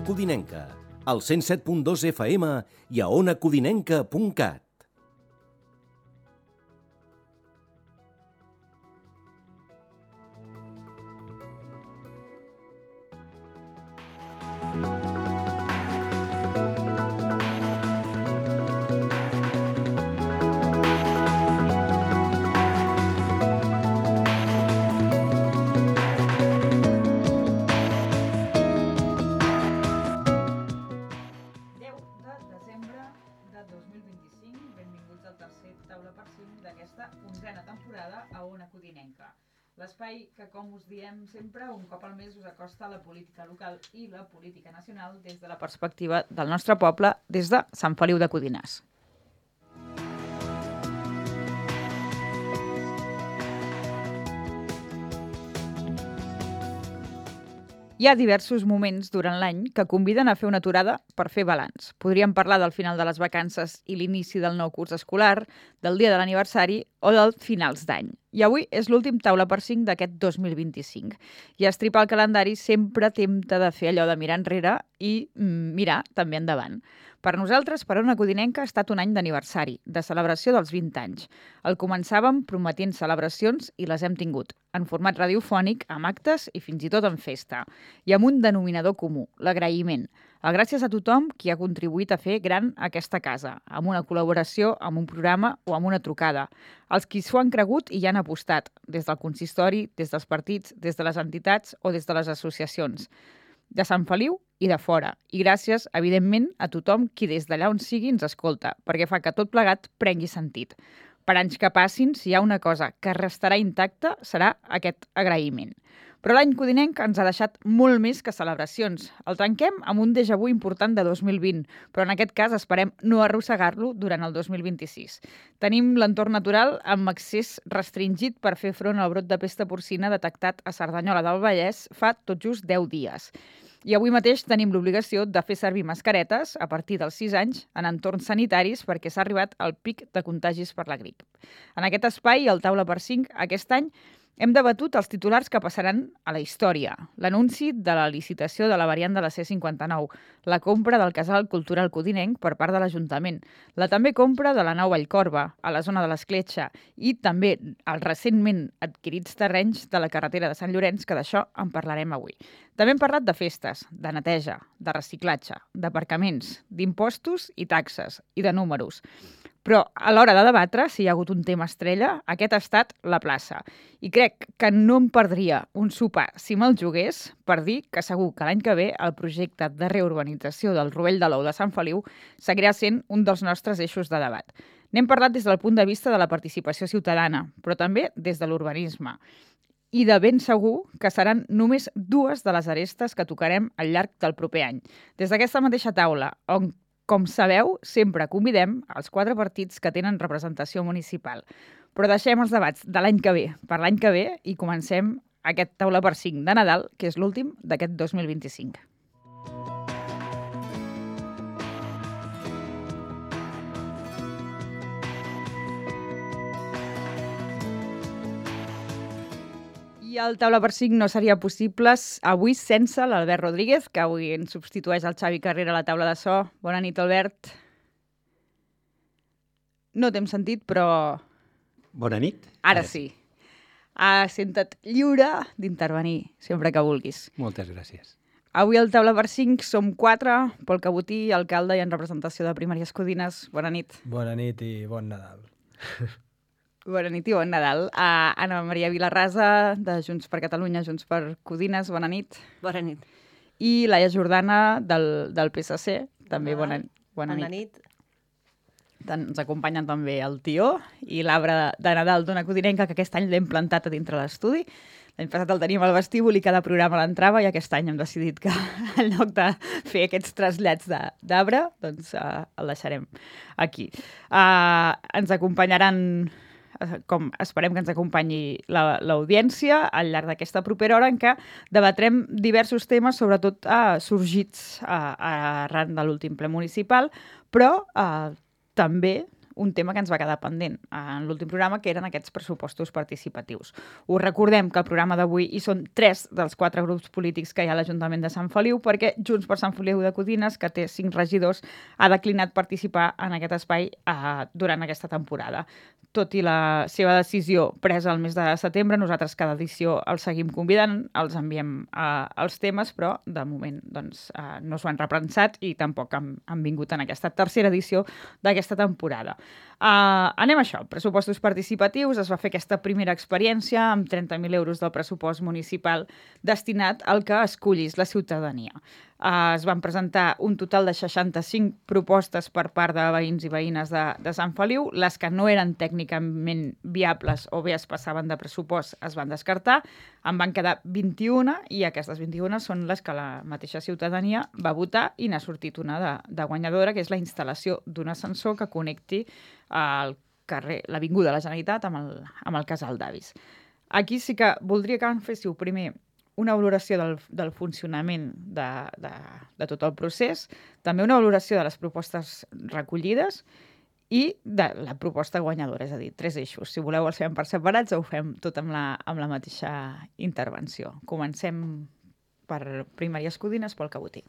Codinenca, al 107.2 FM i a onacodinenca.cat. L'espai que, com us diem sempre, un cop al mes us acosta a la política local i la política nacional des de la perspectiva del nostre poble, des de Sant Feliu de Codines. Hi ha diversos moments durant l'any que conviden a fer una aturada per fer balanç. Podríem parlar del final de les vacances i l'inici del nou curs escolar, del dia de l'aniversari o dels finals d'any. I avui és l'últim taula per 5 d'aquest 2025. I estripar el calendari sempre tempta de fer allò de mirar enrere i mirar també endavant. Per nosaltres, per Ona Codinenca, ha estat un any d'aniversari, de celebració dels 20 anys. El començàvem prometint celebracions i les hem tingut, en format radiofònic, amb actes i fins i tot en festa. I amb un denominador comú, l'agraïment. El gràcies a tothom qui ha contribuït a fer gran aquesta casa, amb una col·laboració, amb un programa o amb una trucada. Els qui s'ho han cregut i hi han apostat, des del consistori, des dels partits, des de les entitats o des de les associacions. De Sant Feliu i de fora. I gràcies, evidentment, a tothom qui des d'allà on sigui ens escolta, perquè fa que tot plegat prengui sentit. Per anys que passin, si hi ha una cosa que restarà intacta, serà aquest agraïment. Però l'any codinenc ens ha deixat molt més que celebracions. El tanquem amb un déjà vu important de 2020, però en aquest cas esperem no arrossegar-lo durant el 2026. Tenim l'entorn natural amb accés restringit per fer front al brot de pesta porcina detectat a Cerdanyola del Vallès fa tot just 10 dies. I avui mateix tenim l'obligació de fer servir mascaretes a partir dels 6 anys en entorns sanitaris perquè s'ha arribat al pic de contagis per la grip. En aquest espai, al Taula per 5, aquest any, hem debatut els titulars que passaran a la història. L'anunci de la licitació de la variant de la C59, la compra del casal cultural codinenc per part de l'Ajuntament, la també compra de la nau Vallcorba, a la zona de l'Escletxa, i també els recentment adquirits terrenys de la carretera de Sant Llorenç, que d'això en parlarem avui. També hem parlat de festes, de neteja, de reciclatge, d'aparcaments, d'impostos i taxes, i de números. Però a l'hora de debatre si hi ha hagut un tema estrella, aquest ha estat la plaça. I crec que no em perdria un sopar si me'l jugués per dir que segur que l'any que ve el projecte de reurbanització del Rovell de l'Ou de Sant Feliu seguirà sent un dels nostres eixos de debat. N'hem parlat des del punt de vista de la participació ciutadana, però també des de l'urbanisme. I de ben segur que seran només 2 de les arestes que tocarem al llarg del proper any. Des d'aquesta mateixa taula, on, com sabeu, sempre convidem els 4 partits que tenen representació municipal. Però deixem els debats de l'any que ve per l'any que ve i comencem aquest taula per 5 de Nadal, que és l'últim d'aquest 2025. I el taula per 5 no seria possible avui sense l'Albert Rodríguez, que avui ens substitueix el Xavi Carrera a la taula de so. Bona nit, Albert. No t'hem sentit, però... Bona nit. Ara sí. Senta't lliure d'intervenir sempre que vulguis. Moltes gràcies. Avui al taula per 5 som 4, Pol Cabotí, alcalde i en representació de Primàries Codines. Bona nit. Bona nit i bon Nadal. Bona nit i bon Nadal. Anna Maria Vilarrasa, de Junts per Catalunya, Junts per Codines, bona nit. Bona nit. I Laia Jordana, del PSC, també bona nit. Bona nit. Ens acompanyen també el Tió i l'arbre de Nadal d'Ona Codinenca, que aquest any l'hem plantat a dintre l'estudi. L'any passat el teníem al vestíbul i cada programa l'entrava i aquest any hem decidit que en lloc de fer aquests trasllats d'arbre, doncs el deixarem aquí. Ens acompanyaran, com esperem que ens acompanyi l'audiència al llarg d'aquesta propera hora en què debatrem diversos temes, sobretot sorgits arran de l'últim ple municipal, però també un tema que ens va quedar pendent en l'últim programa, que eren aquests pressupostos participatius. Us recordem que el programa d'avui hi són 3 dels 4 grups polítics que hi ha a l'Ajuntament de Sant Feliu, perquè Junts per Sant Feliu de Codines, que té 5 regidors, ha declinat participar en aquest espai durant aquesta temporada. Tot i la seva decisió presa el mes de setembre, nosaltres cada edició els seguim convidant, els enviem els temes, però de moment doncs, no s'ho han reprensat i tampoc han vingut en aquesta tercera edició d'aquesta temporada. Anem a això, pressupostos participatius. Es va fer aquesta primera experiència amb 30.000 euros del pressupost municipal destinat al que escollis la ciutadania. Es van presentar un total de 65 propostes per part de veïns i veïnes de Sant Feliu. Les que no eren tècnicament viables o bé es passaven de pressupost es van descartar. En van quedar 21 i aquestes 21 són les que la mateixa ciutadania va votar i n'ha sortit una de guanyadora, que és la instal·lació d'un ascensor que connecti al carrer, l'Avinguda de la Generalitat amb el Casal d'Avis. Aquí sí que voldria que em féssiu primer una valoració del funcionament de tot el procés, també una valoració de les propostes recollides i de la proposta guanyadora, és a dir, 3 eixos. Si voleu els fem per separats o ho fem tot amb la mateixa intervenció. Comencem per Primàries Codines, Pol Cabotí.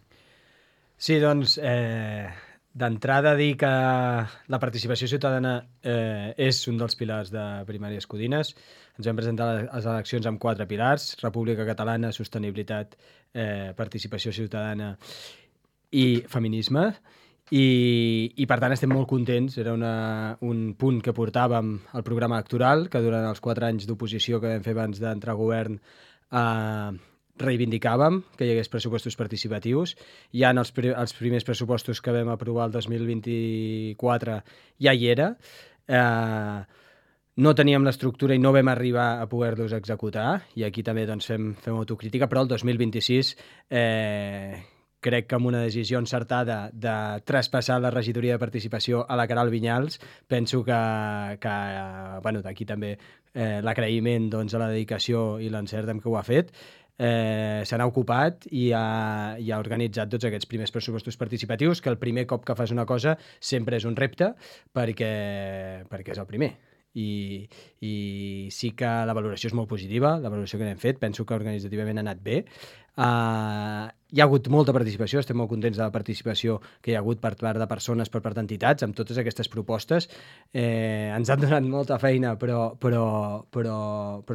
Sí, doncs, d'entrada dir que la participació ciutadana és un dels pilars de Primàries Codines. Ens vam presentar a les eleccions amb 4 pilars: República Catalana, Sostenibilitat, Participació Ciutadana i Feminisme. I per tant estem molt contents. Era un punt que portàvem al programa electoral, que durant els 4 anys d'oposició que vam fer abans d'entrar a govern reivindicàvem que hi hagués pressupostos participatius. Ja en els primers pressupostos que vam aprovar el 2024 ja hi era. No teníem l'estructura i no vam arribar a poder-los executar, i aquí també doncs, fem autocrítica, però el 2026 crec que amb una decisió encertada de traspassar la regidoria de participació a la Queralt Vinyals, penso que bueno, d'aquí també l'agraïment doncs, a la dedicació i l'encert amb què ho ha fet. Se n'ha ocupat i ha organitzat tots aquests primers pressupostos participatius, que el primer cop que fas una cosa sempre és un repte perquè és el primer. I sí que la valoració és molt positiva, la valoració que n'hem fet, penso que organitzativament ha anat bé. Hi ha hagut molta participació, estem molt contents de la participació que hi ha hagut per part de persones, per part d'entitats, amb totes aquestes propostes. Ens han donat molta feina, però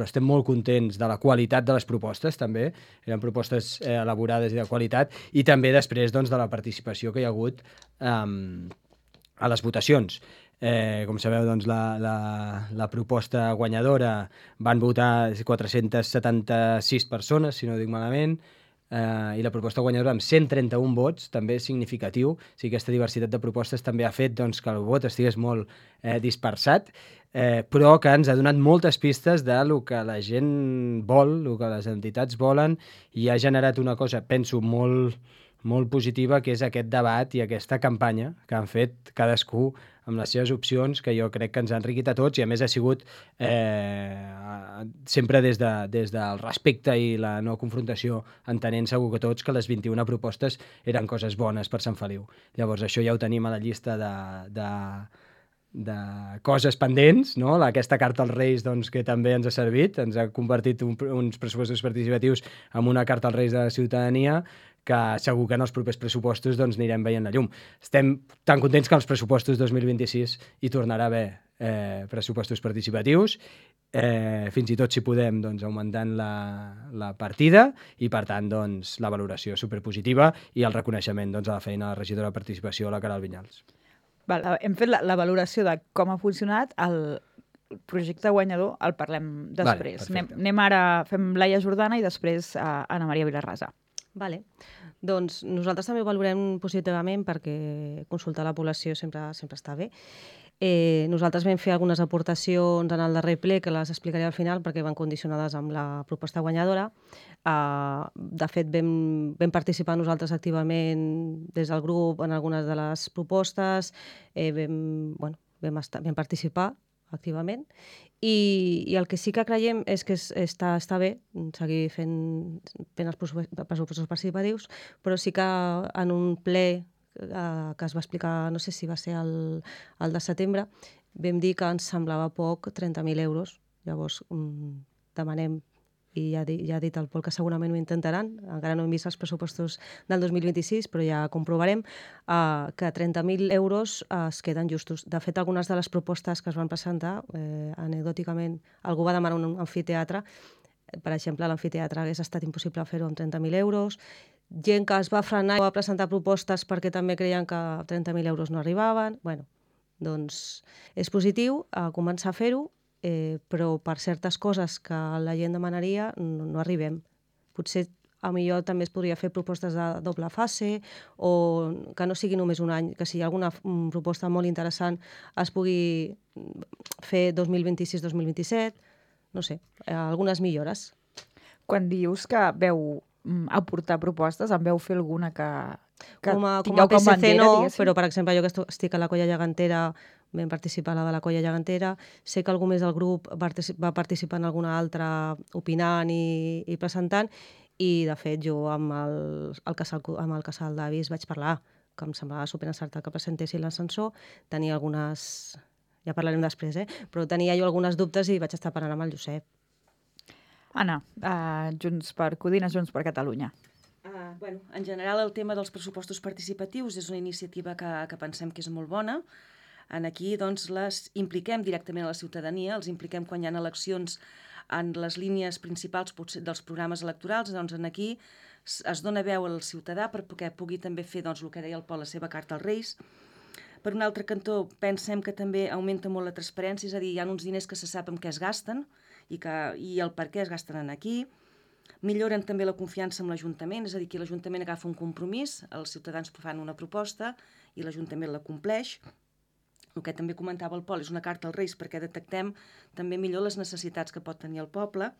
estem molt contents de la qualitat de les propostes, també. Eren propostes elaborades i de qualitat, i també després doncs, de la participació que hi ha hagut a les votacions. Com sabeu, doncs, la proposta guanyadora van votar 476 persones, si no ho dic malament, i la proposta guanyadora amb 131 vots, també és significatiu. O sigui, aquesta diversitat de propostes també ha fet doncs, que el vot estigués molt dispersat, però que ens ha donat moltes pistes del que la gent vol, el que les entitats volen, i ha generat una cosa, penso, molt positiva, que és aquest debat i aquesta campanya que han fet cadascú amb les seves opcions, que jo crec que ens ha enriquit a tots, i a més ha sigut sempre des del respecte i la no confrontació, entenent segur que tots que les 21 propostes eren coses bones per Sant Feliu. Llavors això ja ho tenim a la llista de coses pendents, no? Aquesta carta als Reis doncs, que també ens ha servit, ens ha convertit uns pressupostos participatius en una carta als Reis de la ciutadania, que segur que en els propers pressupostos doncs, anirem veient la llum. Estem tan contents que als pressupostos 2026 hi tornarà a haver pressupostos participatius, fins i tot si podem doncs, augmentant la partida, i per tant doncs, la valoració superpositiva i el reconeixement doncs, a la feina de la regidora de participació a la Queralt Vinyals. Hem fet la valoració de com ha funcionat el projecte guanyador, el parlem després. Anem ara, fem Laia Jordana i després Anna Maria Vilarrasa. Vale. Doncs nosaltres també ho valorem positivament, perquè consultar la població sempre està bé. Nosaltres vam fer algunes aportacions en el darrer ple, que les explicaré al final perquè van condicionades amb la proposta guanyadora. De fet, vam participar nosaltres activament des del grup en algunes de les propostes, vam participar activament, i el que sí que creiem és que està bé seguir fent els pressupostos participatius, però sí que en un ple que es va explicar, no sé si va ser el de setembre, vam dir que ens semblava poc 30.000 euros. Llavors demanem, i ja ha dit el Pol que segurament ho intentaran, encara no hem vist els pressupostos del 2026, però ja comprovarem que 30.000 euros es queden justos. De fet, algunes de les propostes que es van presentar, anecdòticament, algú va demanar un amfiteatre. Per exemple, l'amfiteatre hagués estat impossible fer-ho amb 30.000 euros. Gent que es va frenar i va presentar propostes perquè també creien que 30.000 euros no arribaven. Bueno, doncs és positiu començar a fer-ho, però per certes coses que la gent demanaria no arribem. Potser a millor també es podria fer propostes de doble fase o que no sigui només un any, que si hi ha alguna proposta molt interessant es pugui fer 2026-2027, no sé, algunes millores. Quan dius que veu aportar propostes, en veu fer alguna que com a tingueu com PSC bandera, no, diguéssim? però per exemple jo que estic a la Colla Gegantera, vam participar a la de la Colla Gegantera, sé que algú més del grup va participar en alguna altra opinant i presentant, i de fet jo amb el casal d'avis vaig parlar, que em semblava superencertat que presentessin l'ascensor, tenia algunes... Ja parlarem després, però tenia jo algunes dubtes i vaig estar parlant amb el Josep. Anna, Junts per Codines, Junts per Catalunya. En general, el tema dels pressupostos participatius és una iniciativa que pensem que és molt bona. Aquí doncs, les impliquem directament a la ciutadania, els impliquem quan hi ha eleccions en les línies principals dels programes electorals. Doncs aquí es dona veu al ciutadà perquè pugui també fer el que deia el Pol, la seva carta als Reis. Per un altre cantó, pensem que també augmenta molt la transparència, és a dir, hi ha uns diners que se sap en què es gasten i el per què es gasten aquí. Milloren també la confiança amb l'Ajuntament, és a dir, que l'Ajuntament agafa un compromís, els ciutadans fan una proposta i l'Ajuntament la compleix. El que també comentava el Pol és una carta als Reis perquè detectem també millor les necessitats que pot tenir el poble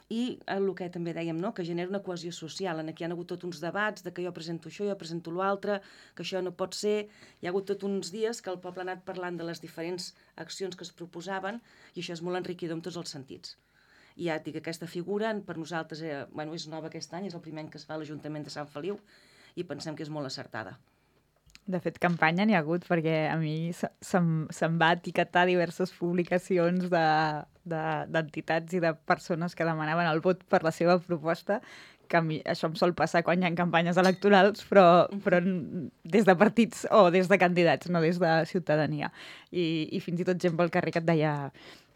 i el que també dèiem, que genera una cohesió social. Aquí hi ha hagut tots uns debats de que jo presento això, jo presento l'altre, que això no pot ser. Hi ha hagut tots uns dies que el poble ha anat parlant de les diferents accions que es proposaven i això és molt enriquidor en tots els sentits. I ja et dic, aquesta figura per nosaltres és nova aquest any, és el primer any que es fa a l'Ajuntament de Sant Feliu i pensem que és molt acertada. De fet, campanya n'hi ha hagut perquè a mi se'm va etiquetar diverses publicacions d'entitats i de persones que demanaven el vot per la seva proposta, que a mi això em sol passar quan hi ha campanyes electorals, però des de partits o des de candidats, no des de ciutadania. I fins i tot gent pel carrer que et deia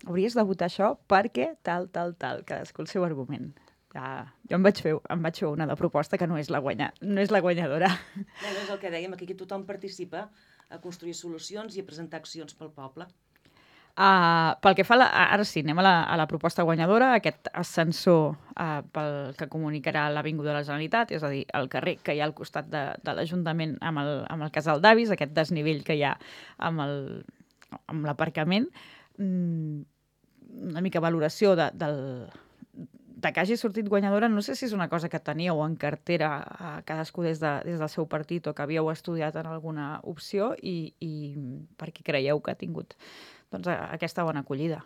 hauries de votar això perquè tal, cadascú el seu argument. Jo em vaig fer una de proposta que no és la guanyadora. És el que dèiem, aquí tothom participa a construir solucions i a presentar accions pel poble. Pel que fa, ara sí, anem a la proposta guanyadora, aquest ascensor pel que comunicarà l'Avinguda de la Generalitat, és a dir, el carrer que hi ha al costat de l'Ajuntament amb el casal d'avis, aquest desnivell que hi ha amb l'aparcament. Una mica valoració de que hagi sortit guanyadora, no sé si és una cosa que teníeu en cartera cadascú des del seu partit o que havíeu estudiat en alguna opció i per què creieu que ha tingut aquesta bona acollida.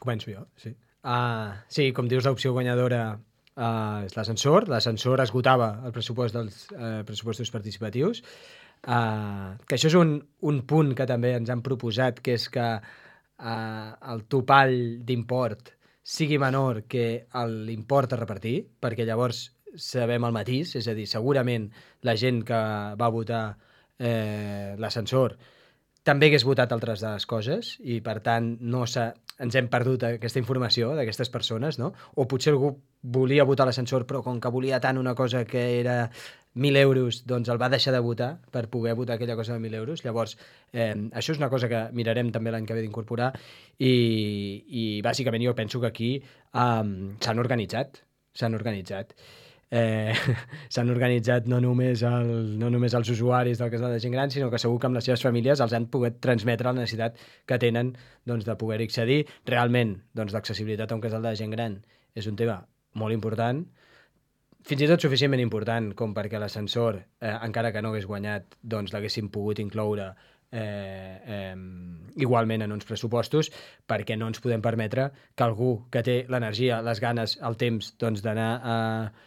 Començo jo, sí. Sí, com dius, l'opció guanyadora és l'ascensor. L'ascensor esgotava el pressupost dels pressupostos participatius. Que això és un punt que també ens han proposat, que és que el topall d'import sigui menor que l'import a repartir, perquè llavors sabem el matís, és a dir, segurament la gent que va votar l'ascensor també hagués votat altres de les coses i, per tant, ens hem perdut aquesta informació d'aquestes persones, no? O potser algú volia votar l'ascensor, però com que volia tant una cosa que era 1.000 euros, doncs el va deixar de votar per poder votar aquella cosa de 1.000 euros. Llavors, això és una cosa que mirarem també l'any que ve d'incorporar i bàsicament jo penso que aquí s'han organitzat. S'han organitzat no només els usuaris del casal de gent gran, sinó que segur que amb les seves famílies els han pogut transmetre la necessitat que tenen de poder accedir. Realment, l'accessibilitat a un casal de gent gran és un tema molt important, fins i tot suficientment important com perquè l'ascensor, encara que no hagués guanyat, l'haguessin pogut incloure igualment en uns pressupostos, perquè no ens podem permetre que algú que té l'energia, les ganes, el temps doncs, d'anar a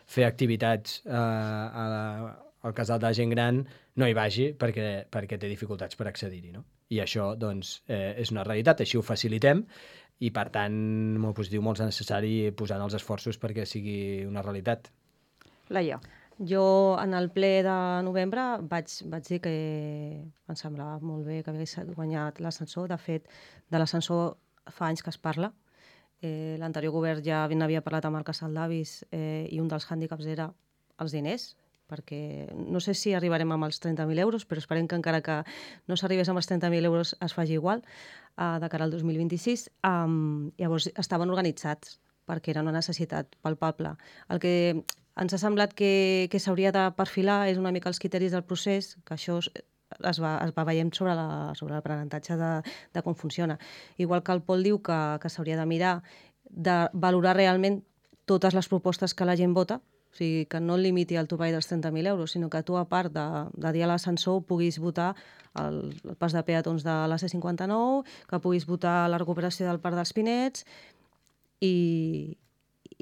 fer activitats al casal de gent gran no hi vagi perquè té dificultats per accedir-hi, no? I això doncs, és una realitat, així ho facilitem i per tant molt positiu, molt necessari posar els esforços perquè sigui una realitat. Laia. Jo, en el ple de novembre, vaig dir que em semblava molt bé que hagués guanyat l'ascensor. De fet, de l'ascensor fa anys que es parla. L'anterior govern ja n'havia parlat amb el casal d'avis i un dels hàndicaps era els diners, perquè no sé si arribarem amb els 30.000 euros, però esperem que encara que no s'arribés amb els 30.000 euros es faci igual de cara al 2026. Llavors estaven organitzats perquè era una necessitat palpable. El que ens ha semblat que s'hauria de perfilar és una mica els criteris del procés, que això es va veient sobre l'aprenentatge de com funciona. Igual que el Pol diu que s'hauria de mirar de valorar realment totes les propostes que la gent vota, o sigui, que no limiti el topall dels 30.000 euros, sinó que tu, a part de dir a l'ascensor, puguis votar el pas de peatons de la C59, que puguis votar la recuperació del Parc dels Pinets i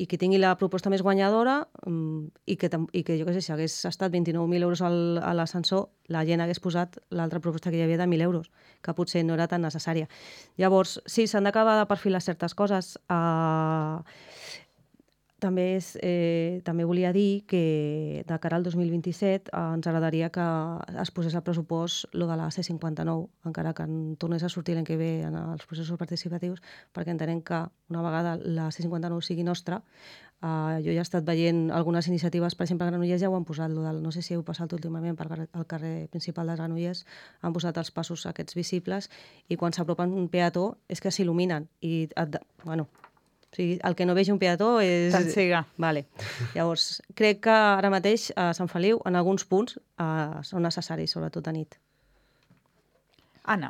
que tingui la proposta més guanyadora i que jo què sé, si hagués estat 29.000 euros a l'ascensor, la gent hagués posat l'altra proposta que hi havia de 1.000 euros, que potser no era tan necessària. Llavors, sí, s'han d'acabar de perfilar certes coses. També volia dir que de cara al 2027 ens agradaria que es posés al pressupost lo de la C59, encara que en tornés a sortir l'any que ve en els processos participatius, perquè entenem que una vegada la C59 sigui nostra, jo ja he estat veient algunes iniciatives, per exemple, a Granollers ja ho han posat, no sé si heu passat últimament al carrer principal de Granollers, han posat els passos aquests visibles i quan s'apropen un peató és que s'il·luminen i, bueno, o sigui, el que no vegi un peató és... T'encega. Vale. Llavors, crec que ara mateix a Sant Feliu, en alguns punts, són necessaris, sobretot a nit. Anna.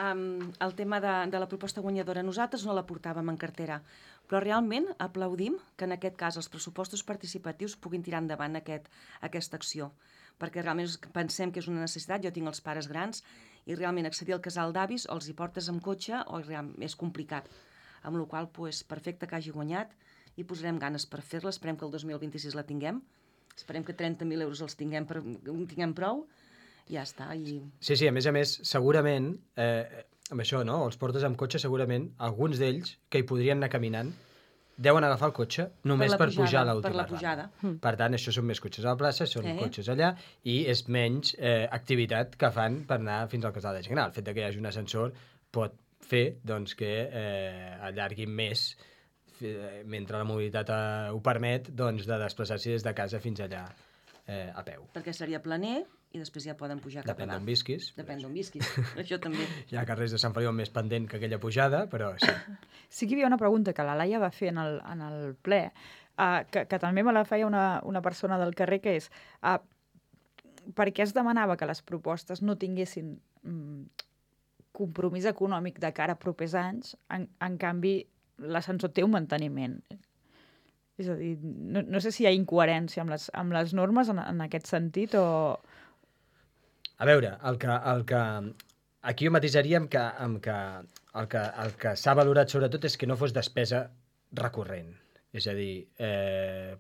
El tema de la proposta guanyadora, nosaltres no la portàvem en cartera, però realment aplaudim que en aquest cas els pressupostos participatius puguin tirar endavant aquesta acció, perquè realment pensem que és una necessitat. Jo tinc els pares grans i realment accedir al casal d'avis o els hi portes amb cotxe o és complicat. Amb la qual cosa, perfecte que hagi guanyat i posarem ganes per fer-la. Esperem que el 2026 la tinguem. Esperem que 30.000 euros els tinguem prou. Ja està. Sí, a més, segurament, amb això, no? Els portes amb cotxe, segurament, alguns d'ells, que hi podrien anar caminant, deuen agafar el cotxe només per pujar a l'última per la pujada. Per tant, això són més cotxes a la plaça, són cotxes allà, i és menys activitat que fan per anar fins al casal de gent gran. El fet que hi hagi un ascensor pot fer doncs, que allarguin més, mentre la mobilitat ho permet, doncs, de desplaçar-se des de casa fins allà a peu. Perquè seria planer i després ja poden pujar cap a dalt. Depèn d'on visquis. Depèn d'on visquis, això també. Hi ha carrers de Sant Feliu més pendent que aquella pujada, però sí. Sí que hi havia una pregunta que la Laia va fer en el ple, que també me la feia una persona del carrer, que és per què es demanava que les propostes no tinguessin compromís econòmic de cara a propers anys, en canvi l'ascensor té un manteniment. És a dir, no sé si hi ha incoherència amb les normes en aquest sentit o... A veure, aquí jo matisaria amb que el que s'ha valorat sobretot és que no fos despesa recurrent. És a dir,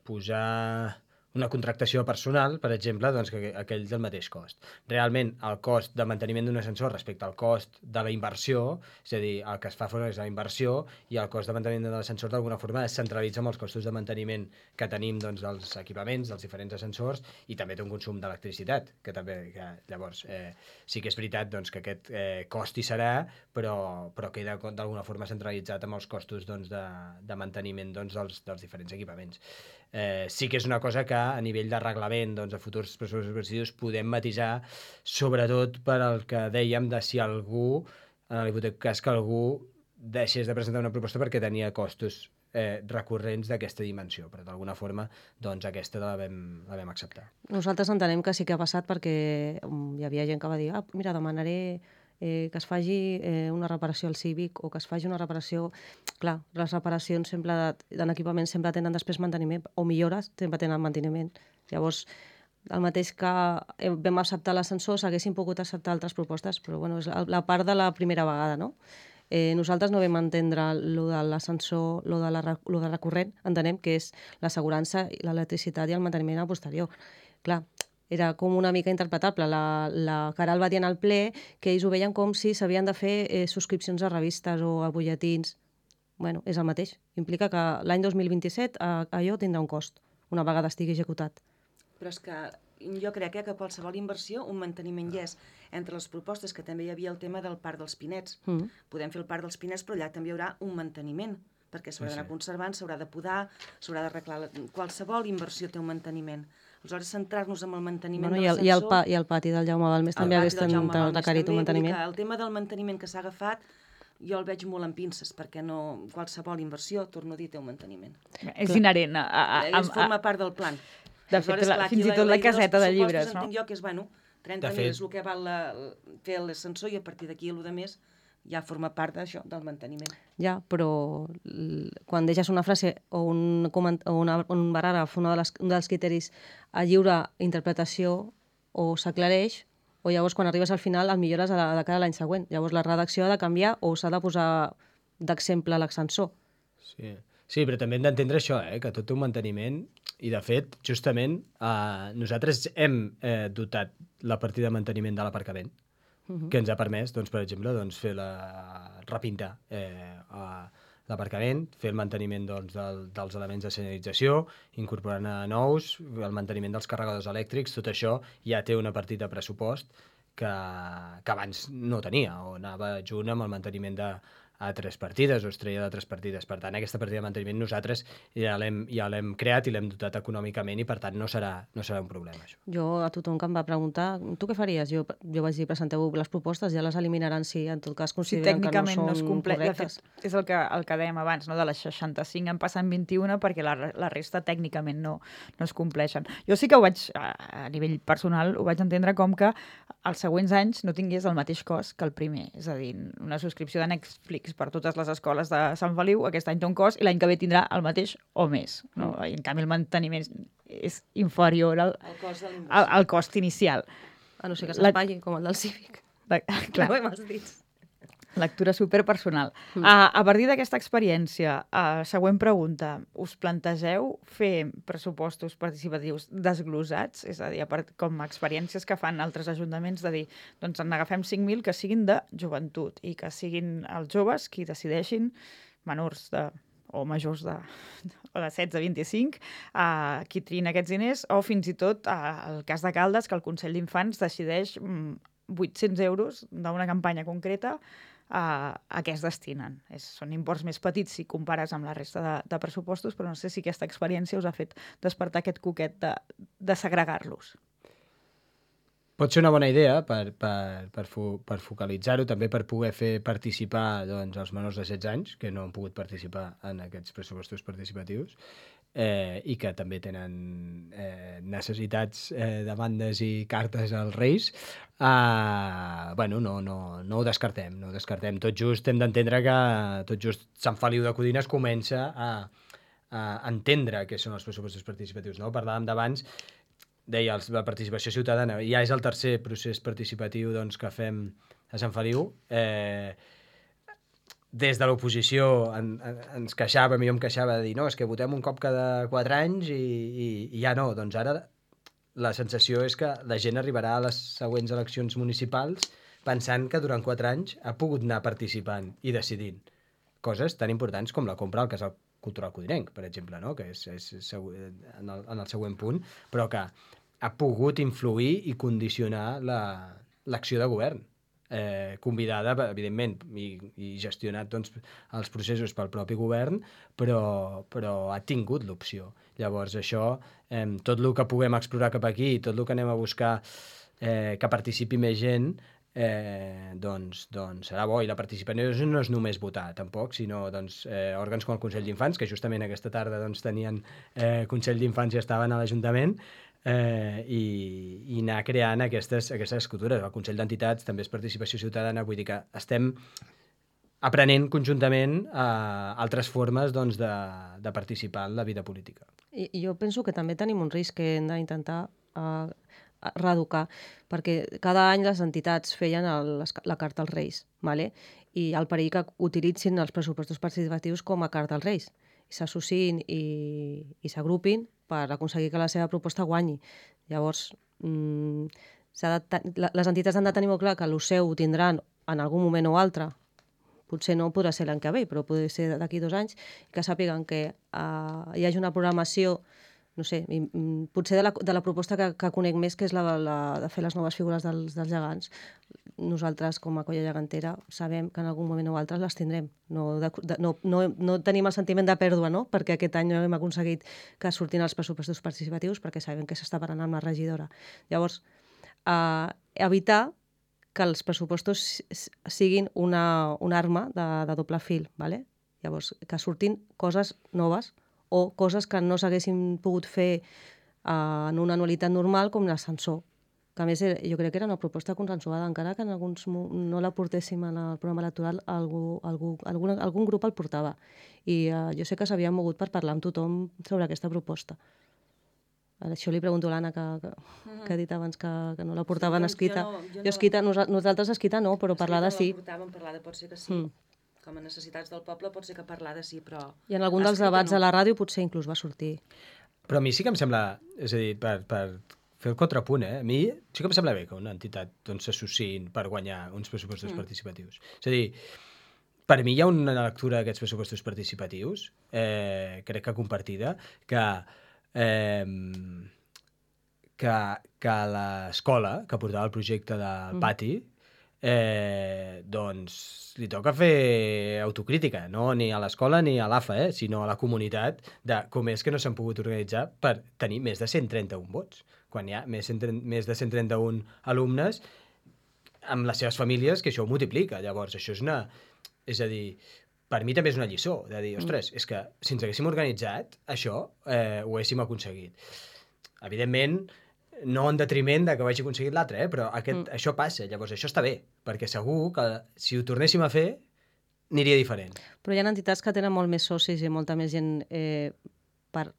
posar una contractació personal, per exemple, doncs que aquell del mateix cost. Realment, el cost de manteniment d'un ascensor respecte al cost de la inversió, és a dir, el que es fa fora és la inversió, i el cost de manteniment de l'ascensor d'alguna forma es centralitza amb els costos de manteniment que tenim doncs, dels equipaments, dels diferents ascensors, i també té un consum d'electricitat, que llavors sí que és veritat doncs, que aquest cost hi serà, però queda d'alguna forma centralitzat amb els costos doncs, de manteniment doncs, dels diferents equipaments. Sí que és una cosa que a nivell de reglament doncs, a futurs pressupostos participatius podem matisar, sobretot per al que dèiem de si algú, en l'hipotètic cas que algú deixés de presentar una proposta perquè tenia costos recurrents d'aquesta dimensió, però d'alguna forma doncs, aquesta la vam acceptar. Nosaltres entenem que sí que ha passat perquè hi havia gent que va dir mira, demanaré que es faci una reparació al Cívic o que es faci una reparació... Clar, les reparacions en equipament sempre tenen després manteniment, o millores sempre tenen manteniment. Llavors, el mateix que vam acceptar l'ascensor, s'haguessin pogut acceptar altres propostes, però bueno, és la part de la primera vegada, no? Nosaltres no vam entendre lo de l'ascensor, lo de recurrent, entenem que és l'assegurança, l'electricitat i el manteniment a posterior. Clar, era com una mica interpretable. La Caral va dir en el ple que ells ho veien com si s'havien de fer subscripcions a revistes o a butlletins. Bueno, és el mateix. Implica que l'any 2027 allò tindrà un cost, una vegada estigui executat. Però és que jo crec que qualsevol inversió, un manteniment hi és. Entre les propostes, que també hi havia el tema del Parc dels Pinets. Podem fer el Parc dels Pinets, però allà també hi haurà un manteniment, perquè s'haurà d'anar conservant, s'haurà de podar, s'haurà d'arreglar... Qualsevol inversió té un manteniment. Aleshores, centrar-nos en el manteniment de l'ascensor... I el pati del Jaume Balmes també hagués requerit un manteniment. El tema del manteniment que s'ha agafat jo el veig molt en pinces, perquè no qualsevol inversió, torno a dir, té un manteniment. És inherent Forma part del plan. De fet, fins i tot la caseta de llibres, no? Entenc jo que és, 30.000 és el que val fer l'ascensor i a partir d'aquí el de més ja forma part d'això, del manteniment. Ja, però quan deixes una frase o un paràgraf, un dels criteris a lliure interpretació o s'aclareix, o llavors quan arribes al final el millores de cara a l'any següent. Llavors la redacció ha de canviar o s'ha de posar d'exemple l'ascensor. Sí, però també hem d'entendre això, que tot té un manteniment i, de fet, justament nosaltres hem dotat la partida de manteniment de l'aparcament, que ens ha permès, doncs, per exemple, repintar l'aparcament, fer el manteniment dels elements de senyalització, incorporant nous, el manteniment dels carregadors elèctrics, tot això ja té una partida de pressupost que abans no tenia, o anava junt amb el manteniment d'altres partides, o es treia d'altres partides. Per tant, aquesta partida de manteniment nosaltres ja l'hem creat i l'hem dotat econòmicament i, per tant, no serà un problema, això. Jo, a tothom que em va preguntar, tu què faries? Jo vaig dir, presenteu les propostes, ja les eliminaran si en tot cas consideren que no són correctes. De fet, és el que dèiem abans, no? De les 65 en passen 21 perquè la resta tècnicament no es compleixen. Jo sí que ho vaig, a nivell personal, ho vaig entendre com que els següents anys no tingués el mateix cost que el primer. És a dir, una subscripció de Netflix per totes les escoles de Sant Feliu, aquest any té un cost i l'any que ve tindrà el mateix o més. No? I en canvi el manteniment és inferior al cost inicial. A no ser que s'espatllin, com el del Cívic. Clar. No ho hem dit. Lectura superpersonal. A partir d'aquesta experiència, següent pregunta, us plantegeu fer pressupostos participatius desglosats? És a dir, com experiències que fan altres ajuntaments de dir, doncs en agafem 5.000 que siguin de joventut i que siguin els joves qui decideixin, menors o majors de 16 a 25, qui triïn aquests diners, o fins i tot el cas de Caldes, que el Consell d'Infants decideix 800 euros d'una campanya concreta a què es destinen. Són imports més petits si compares amb la resta de pressupostos, però no sé si aquesta experiència us ha fet despertar aquest coquet de segregar-los. Pot ser una bona idea per focalitzar-ho, també per poder fer participar els menors de 16 anys, que no han pogut participar en aquests pressupostos participatius, i que també tenen necessitats, demandes i cartes als Reis. No ho descartem, Tot just hem d'entendre que tot just Sant Feliu de Codines comença a entendre què són els pressupostos participatius. No? Parlàvem d'abans, deia, la participació ciutadana ja és el tercer procés participatiu que fem a Sant Feliu. Des de l'oposició ens queixàvem, jo em queixava de dir, no, és que votem un cop cada 4 anys i ja no. Doncs ara la sensació és que la gent arribarà a les següents eleccions municipals pensant que durant 4 anys ha pogut anar participant i decidint coses tan importants com la compra al Casal Cultural Codinenc, per exemple, no? Que és en el següent punt, però que ha pogut influir i condicionar l'acció de govern. Convidada, evidentment, i gestionat els processos pel propi govern, però ha tingut l'opció. Llavors, això, tot el que puguem explorar cap aquí, tot el que anem a buscar que participi més gent, doncs serà bo. I la participació no és només votar, tampoc, sinó òrgans com el Consell d'Infants, que justament aquesta tarda tenien Consell d'Infants i estaven a l'Ajuntament, i anar creant aquestes escultures. El Consell d'Entitats també és participació ciutadana, vull dir que estem aprenent conjuntament altres formes de participar en la vida política. I jo penso que també tenim un risc que hem d'intentar reeducar, perquè cada any les entitats feien la carta als Reis, vale? I hi ha el perill que utilitzin els pressupostos participatius com a carta als Reis, i s'associïn i s'agrupin per aconseguir que la seva proposta guanyi. Llavors, les entitats han de tenir molt clar que el seu ho tindran en algun moment o altre, potser no podrà ser l'any que ve, però pot ser d'aquí 2 anys, que sàpiguen que hi hagi una programació, no sé, potser de la proposta que conec més, que és la de fer les noves figures dels gegants. Nosaltres, com a colla gegantera, sabem que en algun moment o altre les tindrem. No tenim el sentiment de pèrdua, no? Perquè aquest any hem aconseguit que surtin els pressupostos participatius, perquè sabem que s'està parlant amb la regidora. Llavors, evitar que els pressupostos siguin una arma de doble fil, ¿vale? Llavors, que surtin coses noves o coses que no s'haguessin pogut fer en una anualitat normal, com l'ascensor, que a més jo crec que era una proposta consensuada, encara que en alguns no la portéssim en el programa electoral, algun grup el portava. I jo sé que s'havia mogut per parlar amb tothom sobre aquesta proposta. Això li pregunto a l'Anna, que ha dit abans que no la portaven escrita. Nosaltres escrita no, però parlada sí. Parlada pot ser que sí. Com a necessitats del poble pot ser que parlada sí, però... I en algun dels debats a la ràdio potser inclús va sortir. Però a mi sí que em sembla, és a dir, per fer el contrapunt, a mi sí que em sembla bé que una entitat s'associïn per guanyar uns pressupostos participatius. És a dir, per mi hi ha una lectura d'aquests pressupostos participatius, crec que compartida, que l'escola que portava el projecte del pati doncs li toca fer autocrítica, no ni a l'escola ni a l'AFA, sinó a la comunitat, de com és que no s'han pogut organitzar per tenir més de 131 vots, quan hi ha més de 131 alumnes amb les seves famílies, que això ho multiplica. Llavors, això és a dir, per mi també és una lliçó, de dir, ostres, és que si ens haguéssim organitzat, això ho haguéssim aconseguit. Evidentment, no en detriment de que ho hagi aconseguit l'altre, però això passa, llavors això està bé, perquè segur que si ho tornéssim a fer, aniria diferent. Però hi ha entitats que tenen molt més socis i molta més gent per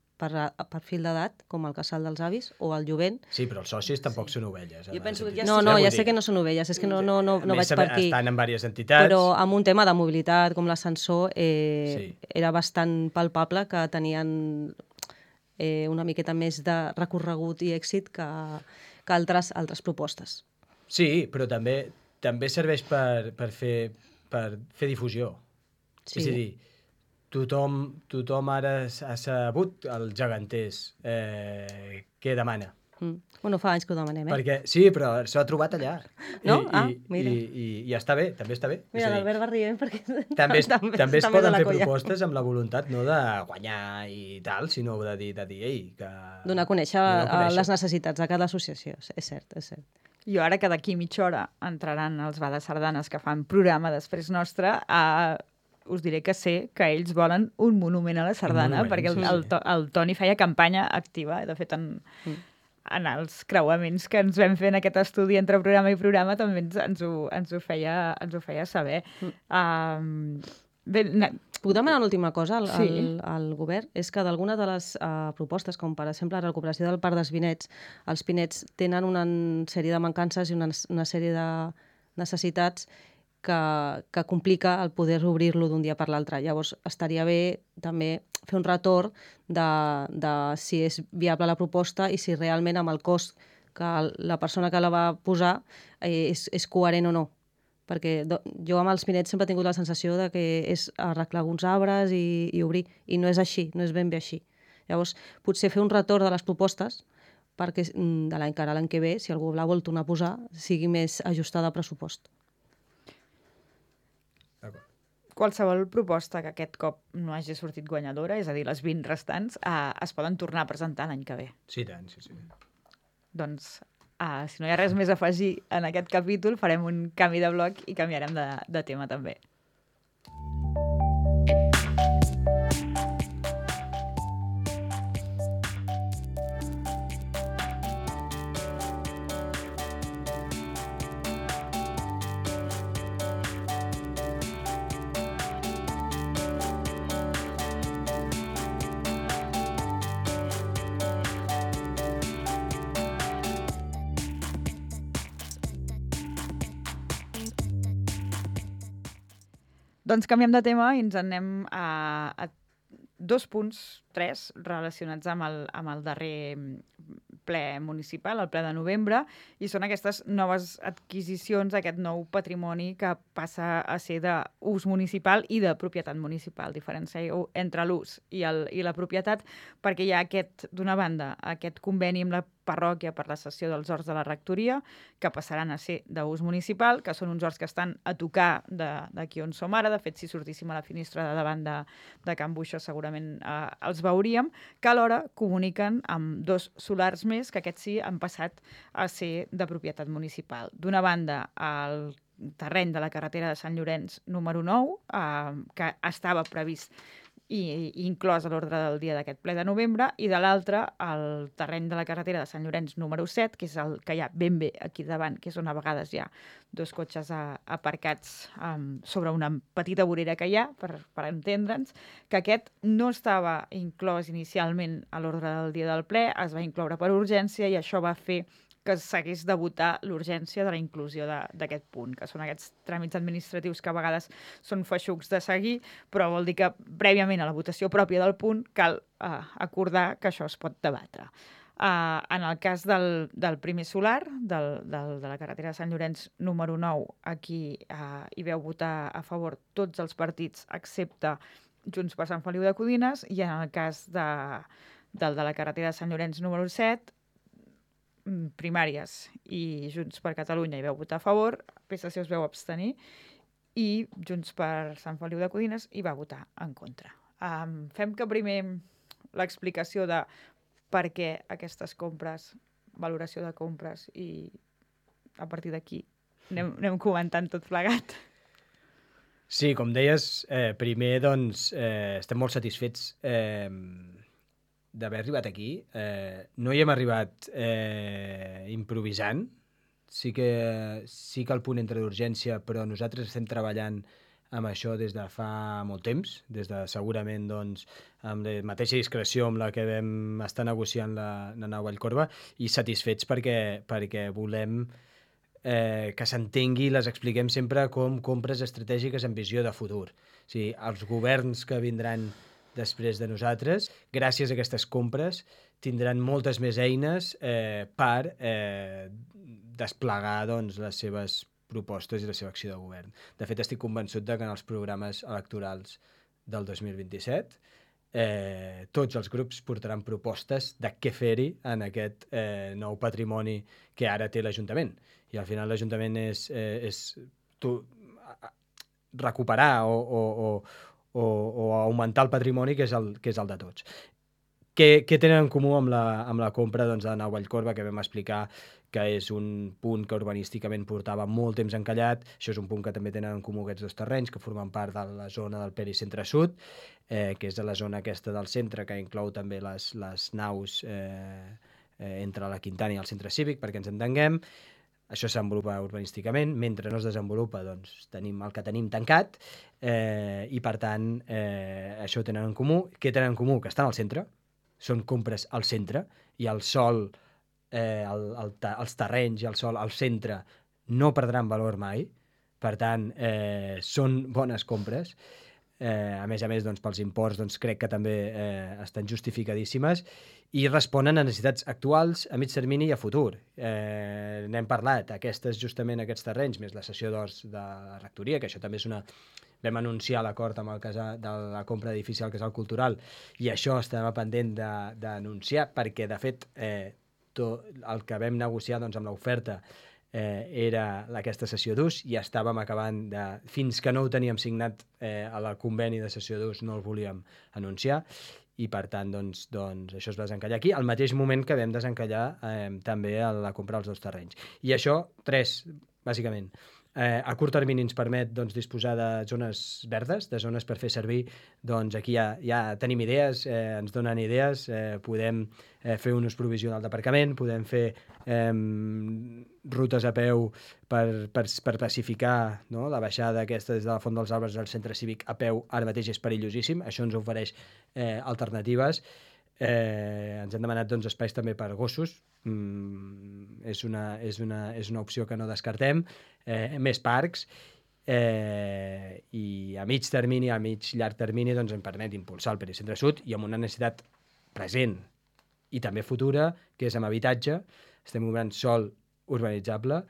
fil d'edat, com el Casal dels Avis o el Jovent. Sí, però els socis tampoc són ovelles. Jo penso que ja sé que no són ovelles, és que no vaig per aquí. Estan en diverses entitats. Però amb un tema de mobilitat com l'ascensor era bastant palpable que tenien una miqueta més de recorregut i èxit que altres propostes. Sí, però també serveix per fer difusió. Sí. És a dir, tothom ara ha sabut els geganters què demana. Bueno, fa anys que ho demanem, Perquè, sí, però s'ha trobat allà. No? Mira. I està bé, també està bé. Mira, l'Albert va rient perquè... També es poden fer propostes amb la voluntat no de guanyar i tal, sinó de dir, que... Donar a conèixer les necessitats de cada associació, és cert. Jo ara que d'aquí mitja hora entraran els Bades Sardanes que fan programa després nostre, us diré que sé que ells volen un monument a la sardana, perquè el Toni feia campanya activa, de fet en els creuaments que ens vam fer en aquest estudi entre programa i programa també ens ho feia saber. Puc demanar una última cosa al govern? És que d'alguna de les propostes, com per exemple la recuperació del Parc dels Pinets, els Pinets tenen una sèrie de mancances i una sèrie de necessitats que complica el poder obrir-lo d'un dia per l'altre. Llavors, estaria bé també fer un retorn de si és viable la proposta i si realment amb el cost que la persona que la va posar és coherent o no. Perquè jo amb els Pinets sempre he tingut la sensació de que és arreglar alguns arbres i obrir, i no és així, no és ben bé així. Llavors, potser fer un retorn de les propostes perquè de l'any que ara l'any que ve, si algú la vol tornar a posar, sigui més ajustada a pressupost. Qualsevol proposta que aquest cop no hagi sortit guanyadora, és a dir, les 20 restants, es poden tornar a presentar l'any que ve. Sí, tant, sí. Doncs, si no hi ha res més a afegir en aquest capítol, farem un canvi de bloc i canviarem de tema també. Doncs canviem de tema i ens anem a 2 punts, 3, relacionats amb el darrer ple municipal, el ple de novembre, i són aquestes noves adquisicions, aquest nou patrimoni que passa a ser d'ús municipal i de propietat municipal. Diferencieu entre l'ús i la propietat, perquè hi ha d'una banda, aquest conveni amb la parròquia per la cessió dels horts de la rectoria, que passaran a ser d'ús municipal, que són uns horts que estan a tocar d'aquí on som ara. De fet, si sortíssim a la finestra de davant de Can Buixó, segurament els veuríem, que alhora comuniquen amb 2 solars més, que aquests sí han passat a ser de propietat municipal. D'una banda, el terreny de la carretera de Sant Llorenç número 9, que estava previst i inclòs a l'ordre del dia d'aquest ple de novembre, i de l'altre, el terreny de la carretera de Sant Llorenç número 7, que és el que hi ha ben bé aquí davant, que és on a vegades hi ha 2 cotxes aparcats sobre una petita vorera que hi ha, per entendre'ns, que aquest no estava inclòs inicialment a l'ordre del dia del ple, es va incloure per urgència i això va fer que s'hagués de votar l'urgència de la inclusió d'aquest punt, que són aquests tràmits administratius que a vegades són feixucs de seguir, però vol dir que prèviament a la votació pròpia del punt cal acordar que això es pot debatre. En el cas del primer solar, de la carretera de Sant Llorenç número 9, aquí hi veu votar a favor tots els partits excepte Junts per Sant Feliu de Codines, i en el cas de la carretera de Sant Llorenç número 7, primàries i Junts per Catalunya hi veu votar a favor, PSC es veu abstenir i Junts per Sant Feliu de Codines hi va votar en contra. Fem que primer l'explicació de per què aquestes compres, valoració de compres, i a partir d'aquí anem comentant tot plegat. Sí, com deies, primer doncs estem molt satisfets d'haver arribat aquí. No hi hem arribat improvisant. Sí que el punt entra d'urgència, però nosaltres estem treballant amb això des de fa molt temps, des de segurament doncs, amb la mateixa discreció amb la que vam estar negociant la nau Vallcorba, i satisfets perquè volem que s'entengui i les expliquem sempre com compres estratègiques amb visió de futur. O sigui, els governs que vindran després de nosaltres, gràcies a aquestes compres, tindran moltes més eines per desplegar doncs, les seves propostes i la seva acció de govern. De fet, estic convençut que en els programes electorals del 2027 tots els grups portaran propostes de què fer-hi en aquest nou patrimoni que ara té l'Ajuntament. I al final l'Ajuntament és recuperar o augmentar el patrimoni que és el de tots. Què tenen en comú amb la compra doncs, de Nau Vallcorba, que vam explicar que és un punt que urbanísticament portava molt temps encallat? Això és un punt que també tenen en comú aquests 2 terrenys, que formen part de la zona del Pericentre-Sud, que és de la zona aquesta del centre, que inclou també les naus entre la Quintana i el centre cívic, perquè ens entenguem. Això es desenvolupa urbanísticament. Mentre no es desenvolupa, doncs tenim el que tenim tancat, i per tant això ho tenen en comú. Què tenen en comú? Que estan al centre, són compres al centre, i el sòl, els terrenys i el sòl al centre no perdran valor mai. Per tant, són bones compres. A més, doncs, pels imports doncs, crec que també estan justificadíssimes i responen a necessitats actuals, a mig termini i a futur. N'hem parlat, justament aquests terrenys, més la cessió d'horts de la rectoria, que això també és una... Vam anunciar l'acord amb el casal de la compra d'edifici al Casal Cultural, i això estava pendent d'anunciar, perquè, de fet, el que vam negociar doncs, amb l'oferta era aquesta cessió d'ús, i estàvem acabant de... Fins que no ho teníem signat a la conveni de cessió d'ús no el volíem anunciar, i per tant doncs, això es va desencallar aquí, al mateix moment que vam desencallar també la compra dels 2 terrenys. I això, 3, bàsicament. A curt termini ens permet doncs, disposar de zones verdes, de zones per fer servir. Doncs aquí ja tenim idees, ens donen idees, podem fer un ús provisional d'aparcament, podem fer rutes a peu per pacificar, no? La baixada aquesta des de la Font dels Arbres al centre cívic a peu ara mateix és perillosíssim, això ens ofereix alternatives. Ens han demanat doncs, espais també per gossos, és una opció que no descartem, més parcs, i a mig termini, a mig llarg termini, doncs em permet impulsar el Pericentre Sud i amb una necessitat present i també futura, que és amb habitatge. Estem comprant sòl urbanitzable,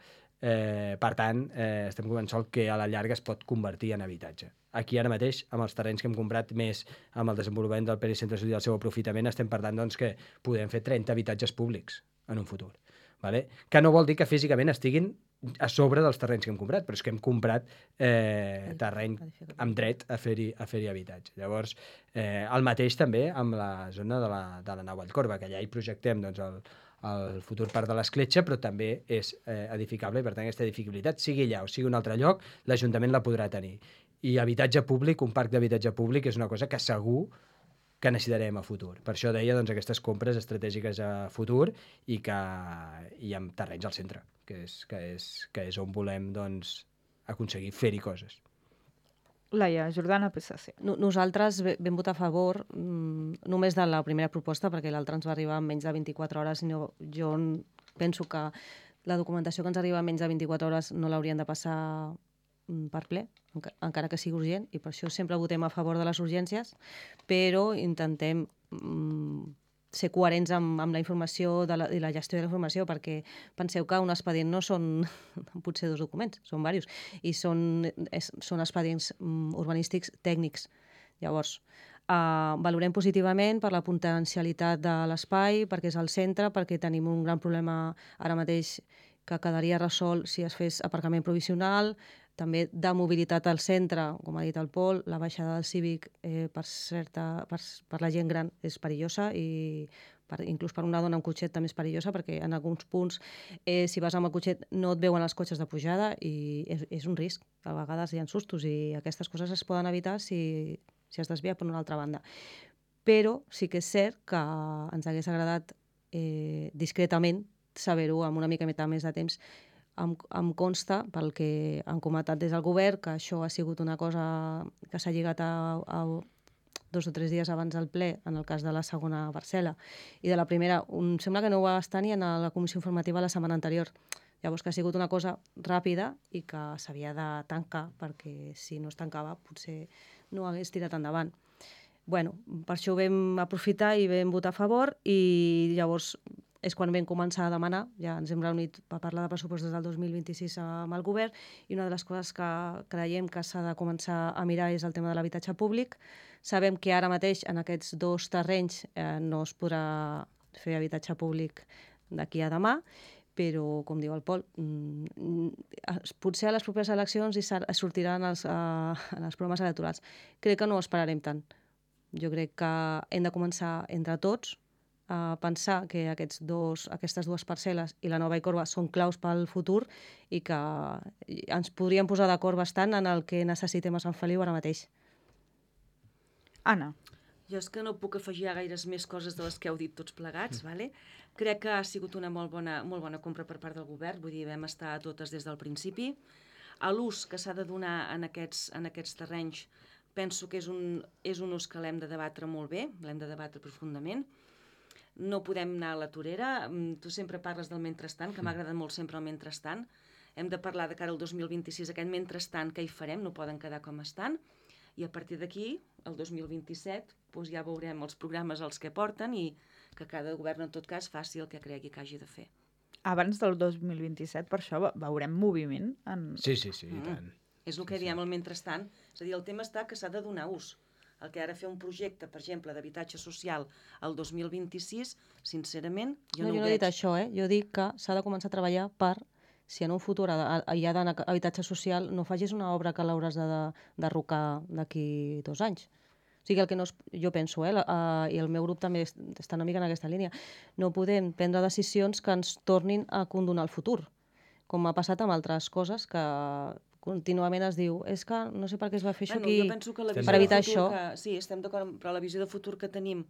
per tant, estem comprant sòl que a la llarga es pot convertir en habitatge. Aquí ara mateix, amb els terrenys que hem comprat més amb el desenvolupament del Pericentre Sud i el seu aprofitament, estem parlant doncs, que podem fer 30 habitatges públics en un futur. Vale? Que no vol dir que físicament estiguin a sobre dels terrenys que hem comprat, però és que hem comprat terreny amb dret a fer-hi habitatge. Llavors, el mateix també amb la zona de la Nau Vallcorba, que allà hi projectem doncs, el futur parc de l'Escletxa, però també és edificable i, per tant, aquesta edificabilitat, sigui allà o sigui un altre lloc, l'Ajuntament la podrà tenir. I habitatge públic, un parc d'habitatge públic, és una cosa que segur que necessitarem a futur. Per això deia doncs, aquestes compres estratègiques a futur i amb terrenys al centre, que és on volem doncs, aconseguir fer-hi coses. Laia Jordana, PSC. Nosaltres vam votar a favor només de la primera proposta, perquè l'altra ens va arribar en menys de 24 hores. Jo penso que la documentació que ens arriba en menys de 24 hores no l'haurien de passar per ple, encara que sigui urgent, i per això sempre votem a favor de les urgències, però intentem ser coherents amb la informació i la gestió de la informació, perquè penseu que un expedient no són potser 2 documents, són diversos, i són expedients urbanístics tècnics. Llavors, valorem positivament per la potencialitat de l'espai, perquè és al centre, perquè tenim un gran problema ara mateix que quedaria resolt si es fes aparcament provisional, també de mobilitat al centre, com ha dit el Pol, la baixada del Cívic per la gent gran és perillosa i inclús per una dona amb cotxet també és perillosa, perquè en alguns punts, si vas amb el cotxet, no et veuen els cotxes de pujada i és un risc. A vegades hi ha sustos i aquestes coses es poden evitar si es desvia per una altra banda. Però sí que és cert que ens hagués agradat discretament saber-ho amb una mica més de temps. Em consta, pel que han comentat des del govern, que això ha sigut una cosa que s'ha lligat a 2 o 3 dies abans del ple, en el cas de la segona parcel·la. I de la primera, em sembla que no ho va estar ni en la comissió informativa la setmana anterior. Llavors, que ha sigut una cosa ràpida i que s'havia de tancar, perquè si no es tancava potser no hagués tirat endavant. Bueno, per això ho vam aprofitar i vam votar a favor, i llavors és quan vam començar a demanar, ja ens hem reunit per parlar de pressupostos del 2026 amb el govern, i una de les coses que creiem que s'ha de començar a mirar és el tema de l'habitatge públic. Sabem que ara mateix en aquests 2 terrenys no es podrà fer habitatge públic d'aquí a demà, però, com diu el Pol, potser a les properes eleccions sortiran els programes electorals. Crec que no esperarem tant. Jo crec que hem de començar entre tots a pensar que aquestes 2 parcel·les i la Nova Vallcorba són claus pel futur i que ens podríem posar d'acord bastant en el que necessitem a Sant Feliu ara mateix. Anna. Jo és que no puc afegir gaires més coses de les que heu dit tots plegats. Vale? Crec que ha sigut una molt bona compra per part del govern, vull dir, vam estar totes des del principi. A l'ús que s'ha de donar en aquests terrenys penso que és un ús que l'hem de debatre molt bé, l'hem de debatre profundament. No podem anar a la torera. Tu sempre parles del mentrestant, que m'ha agradat molt sempre el mentrestant. Hem de parlar de cara al 2026, aquest mentrestant, què hi farem, no poden quedar com estan. I a partir d'aquí, el 2027, doncs ja veurem els programes als que porten i que cada govern, en tot cas, faci el que cregui que hagi de fer. Abans del 2027, per això, veurem moviment? Sí, i tant. És el que diem el mentrestant. És a dir, el tema està que s'ha de donar ús. El que ara fer un projecte, per exemple, d'habitatge social al 2026, sincerament, jo no ho veig. Jo no he dit això, Jo dic que s'ha de començar a treballar per, si en un futur hi ha d'anar habitatge social, no facis una obra que l'hauràs de derrocar d'aquí 2 anys. O sigui, el que jo penso, i el meu grup també està una mica en aquesta línia, no podem prendre decisions que ens tornin a condonar el futur, com ha passat amb altres coses que contínuament es diu, és que no sé per què es va fer això aquí, per evitar això. Sí, estem d'acord, però la visió de futur que tenim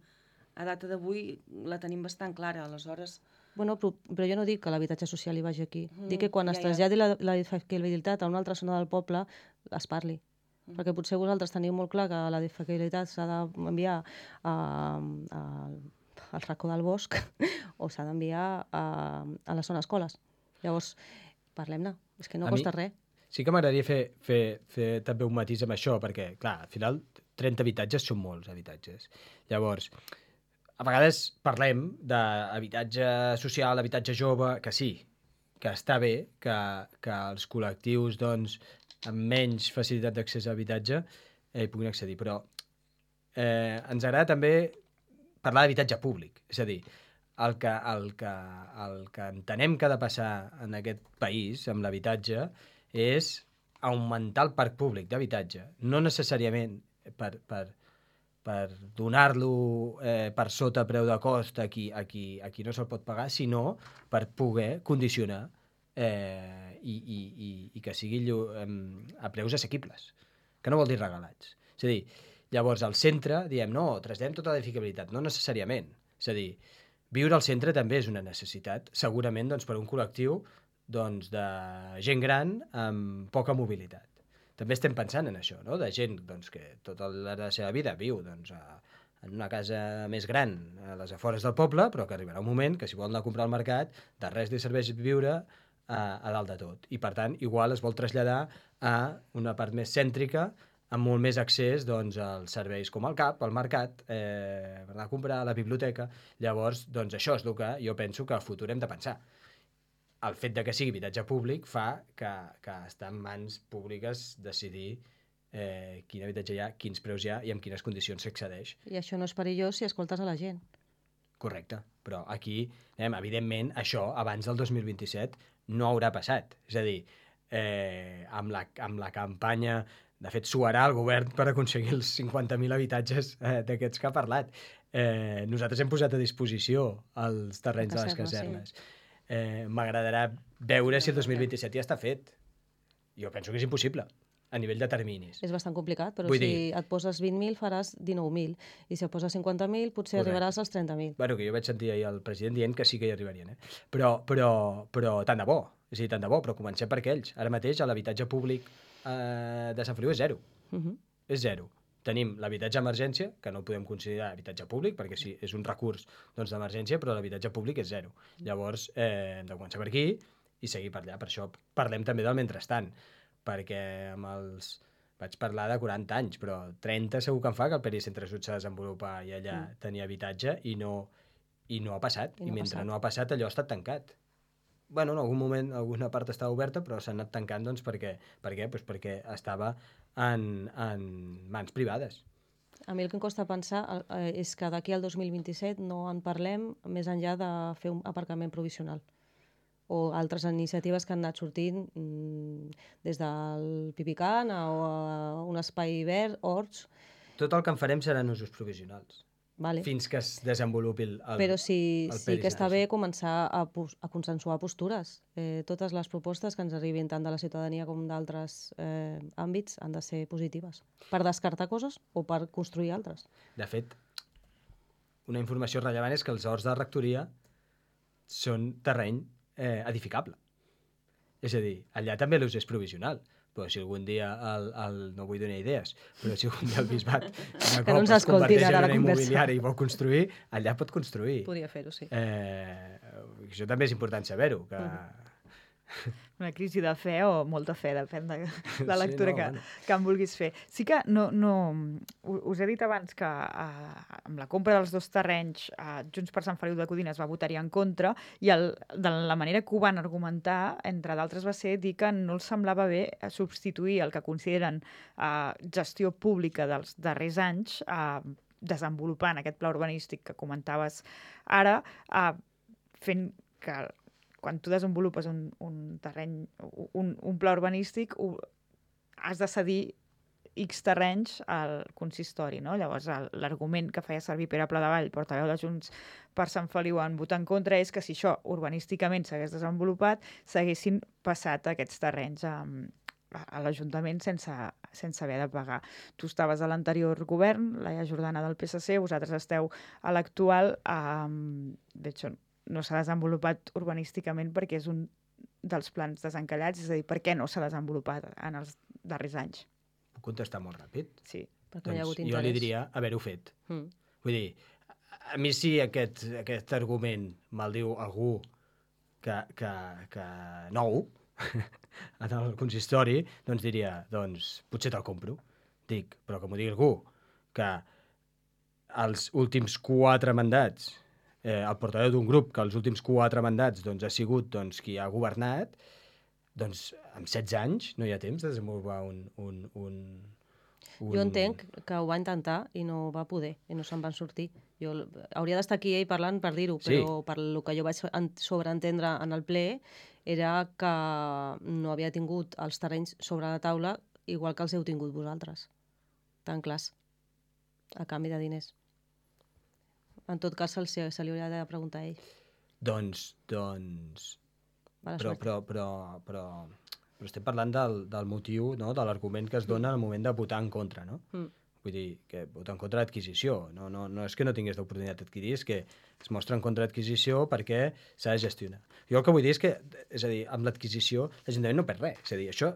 a data d'avui la tenim bastant clara, aleshores. Bueno, però jo no dic que l'habitatge social hi vagi aquí. Dic que quan es traslladi l'edificabilitat a una altra zona del poble, es parli. Perquè potser vosaltres teniu molt clar que l'edificabilitat s'ha d'enviar al racó del bosc o s'ha d'enviar a les zones escoles. Llavors, parlem-ne. És que no costa res. Sí que m'agradaria fer també un matís amb això, perquè, clar, al final 30 habitatges són molts habitatges. Llavors, a vegades parlem d'habitatge social, habitatge jove, que sí, que està bé que els col·lectius doncs, amb menys facilitat d'accés a habitatge puguin accedir, però ens agrada també parlar d'habitatge públic, és a dir, el que entenem que ha de passar en aquest país amb l'habitatge és augmentar el parc públic d'habitatge, no necessàriament per donar-lo per sota preu de cost a qui no se'l pot pagar, sinó per poder condicionar i que sigui a preus assequibles, que no vol dir regalats. És a dir, llavors al centre diem no, traslladem tota l'edificabilitat, no necessàriament. És a dir, viure al centre també és una necessitat, segurament doncs, per un col·lectiu doncs, de gent gran amb poca mobilitat. També estem pensant en això, no? De gent doncs, que tota la seva vida viu doncs, en una casa més gran a les afores del poble, però que arribarà un moment que si vol anar a comprar al mercat, de res li serveix viure a dalt de tot. I per tant, igual es vol traslladar a una part més cèntrica amb molt més accés doncs, als serveis com el CAP, al mercat, per anar a comprar, a la biblioteca. Llavors, doncs, això és el que jo penso que a futur hem de pensar. El fet de que sigui habitatge públic fa que està en mans públiques decidir quin habitatge hi ha, quins preus hi ha i en quines condicions s'accedeix. I això no és perillós si escoltes a la gent. Correcte, però aquí, evidentment, això abans del 2027 no haurà passat. És a dir, amb la campanya, de fet, suarà el govern per aconseguir els 50.000 habitatges d'aquests que ha parlat. Nosaltres hem posat a disposició els terrenys de les casernes. Sí. M'agradarà veure si el 2027 ja està fet. Jo penso que és impossible a nivell de terminis. És bastant complicat, però si et poses 20.000 faràs 19.000 i si et poses 50.000 potser arribaràs als 30.000. Bueno, que jo vaig sentir ahir el president dient que sí que hi arribarien. Però tant de bo. És a dir, tant de bo, però comencem per aquells. Ara mateix l'habitatge públic de Sant Feliu és zero. És zero. Tenim l'habitatge d'emergència, que no podem considerar habitatge públic, perquè sí, és un recurs d'emergència, però l'habitatge públic és zero. Llavors, hem de començar per aquí i seguir per allà. Per això parlem també del mentrestant, perquè vaig parlar de 40 anys, però 30 segur que em fa que el Pericentre Sud s'ha de desenvolupar i allà tenia habitatge i no ha passat. I mentre no ha passat, allò ha estat tancat. Bueno, en algun moment alguna part estava oberta, però s'ha anat tancant doncs, perquè estava en mans privades. A mi el que em costa pensar és que d'aquí al 2027 no en parlem més enllà de fer un aparcament provisional o altres iniciatives que han anat sortint des del Pipican o a un espai verd, horts. Tot el que en farem seran usos provisionals. Vale. Fins que es desenvolupi el Però sí que està bé començar a consensuar postures. Totes les propostes que ens arribin tant de la ciutadania com d'altres àmbits han de ser positives. Per descartar coses o per construir altres. De fet, una informació rellevant és que els horts de rectoria són terreny edificable. És a dir, allà també l'ús és provisional. Però si algun dia no vull donar idees, però si algun dia el bisbat es converteix en una immobiliària i vol construir, allà pot construir. Podria fer-ho, sí. Això també és important saber-ho. Una crisi de fe o molta fe, depèn de la lectura que en vulguis fer. Sí que us he dit abans que amb la compra dels dos terrenys Junts per Sant Feliu de Codines va votar-hi en contra i de la manera que ho van argumentar, entre d'altres, va ser dir que no els semblava bé substituir el que consideren gestió pública dels darrers anys desenvolupant aquest pla urbanístic que comentaves ara, fent que quan tu desenvolupes un terreny, un pla urbanístic, has de cedir X terrenys al consistori, no? Llavors, l'argument que feia servir Pere Pladevall, portaveu de Junts per Sant Feliu, en votar en contra, és que si això urbanísticament s'hagués desenvolupat, s'haguessin passat aquests terrenys a l'Ajuntament sense haver de pagar. Tu estaves a l'anterior govern, Laia Jordana del PSC, vosaltres esteu a l'actual, d'això no s'ha desenvolupat urbanísticament perquè és un dels plans desencallats, és a dir, per què no s'ha desenvolupat en els darrers anys? Puc contestar molt ràpid? Sí. Doncs jo li diria haver-ho fet. Vull dir, a mi si aquest argument me'l diu algú que nou, en el consistori, doncs diria, doncs potser te'l compro. Dic, però que m'ho digui algú que els últims 4 mandats, el portaveu d'un grup que els últims 4 mandats doncs, ha sigut doncs, qui ha governat, doncs amb 16 anys no hi ha temps de desenvolupar Jo entenc que ho va intentar i no va poder, i no se'n van sortir. Hauria d'estar aquí ell parlant per dir-ho, però per lo que jo vaig sobreentendre en el ple era que no havia tingut els terrenys sobre la taula igual que els heu tingut vosaltres. Tan clars, a canvi de diners. En tot cas, se li hauria de preguntar a ell. Doncs... Però estem parlant del motiu, no? De l'argument que es dona al moment de votar en contra, no? Vull dir, que votar en contra d'adquisició. No és que no tingués l'oportunitat d'adquirir, és que es mostra en contra d'adquisició perquè s'ha de gestionar. Jo el que vull dir és que, és a dir, amb l'adquisició l'Ajuntament no perd res. És a dir, això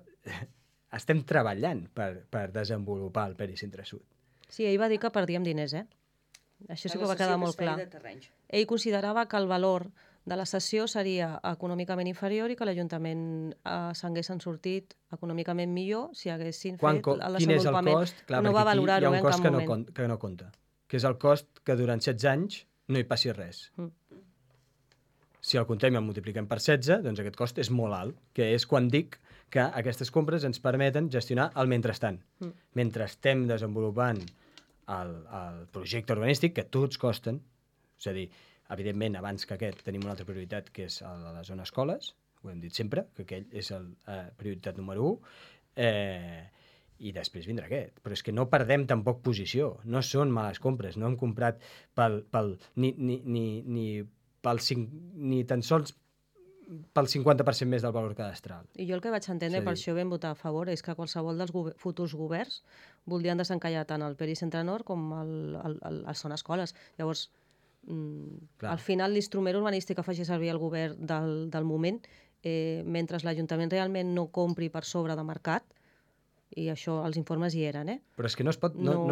estem treballant per desenvolupar el Peri Cintre Sud. Sí, ell va dir que perdíem diners, Això sí que va quedar molt clar. Ell considerava que el valor de la cessió seria econòmicament inferior i que l'Ajuntament s'haguessin sortit econòmicament millor si haguessin fet el desenvolupament. Quin és el cost? Clar, no va valorar-ho en cap moment. Que no compta, que és el cost que durant 16 anys no hi passi res. Si el comptem i el multipliquem per 16, doncs aquest cost és molt alt, que és quan dic que aquestes compres ens permeten gestionar el mentrestant. Mentre estem desenvolupant el projecte urbanístic, que tots costen, és a dir, evidentment, abans que aquest tenim una altra prioritat, que és la zona escoles, ho hem dit sempre, que aquell és la prioritat número 1, i després vindrà aquest. Però és que no perdem tampoc posició, no són males compres, no hem comprat ni tan sols pel 50% més del valor cadastral. I jo el que vaig entendre, per això vam votar a favor, és que qualsevol dels futurs governs voldrien desencallar tant el Peri Centre Nord com el Zona Escoles. Llavors, al final l'instrument urbanístic que faci servir el govern del moment, mentre l'Ajuntament realment no compri per sobre de mercat, i això, els informes hi eren, Però és que no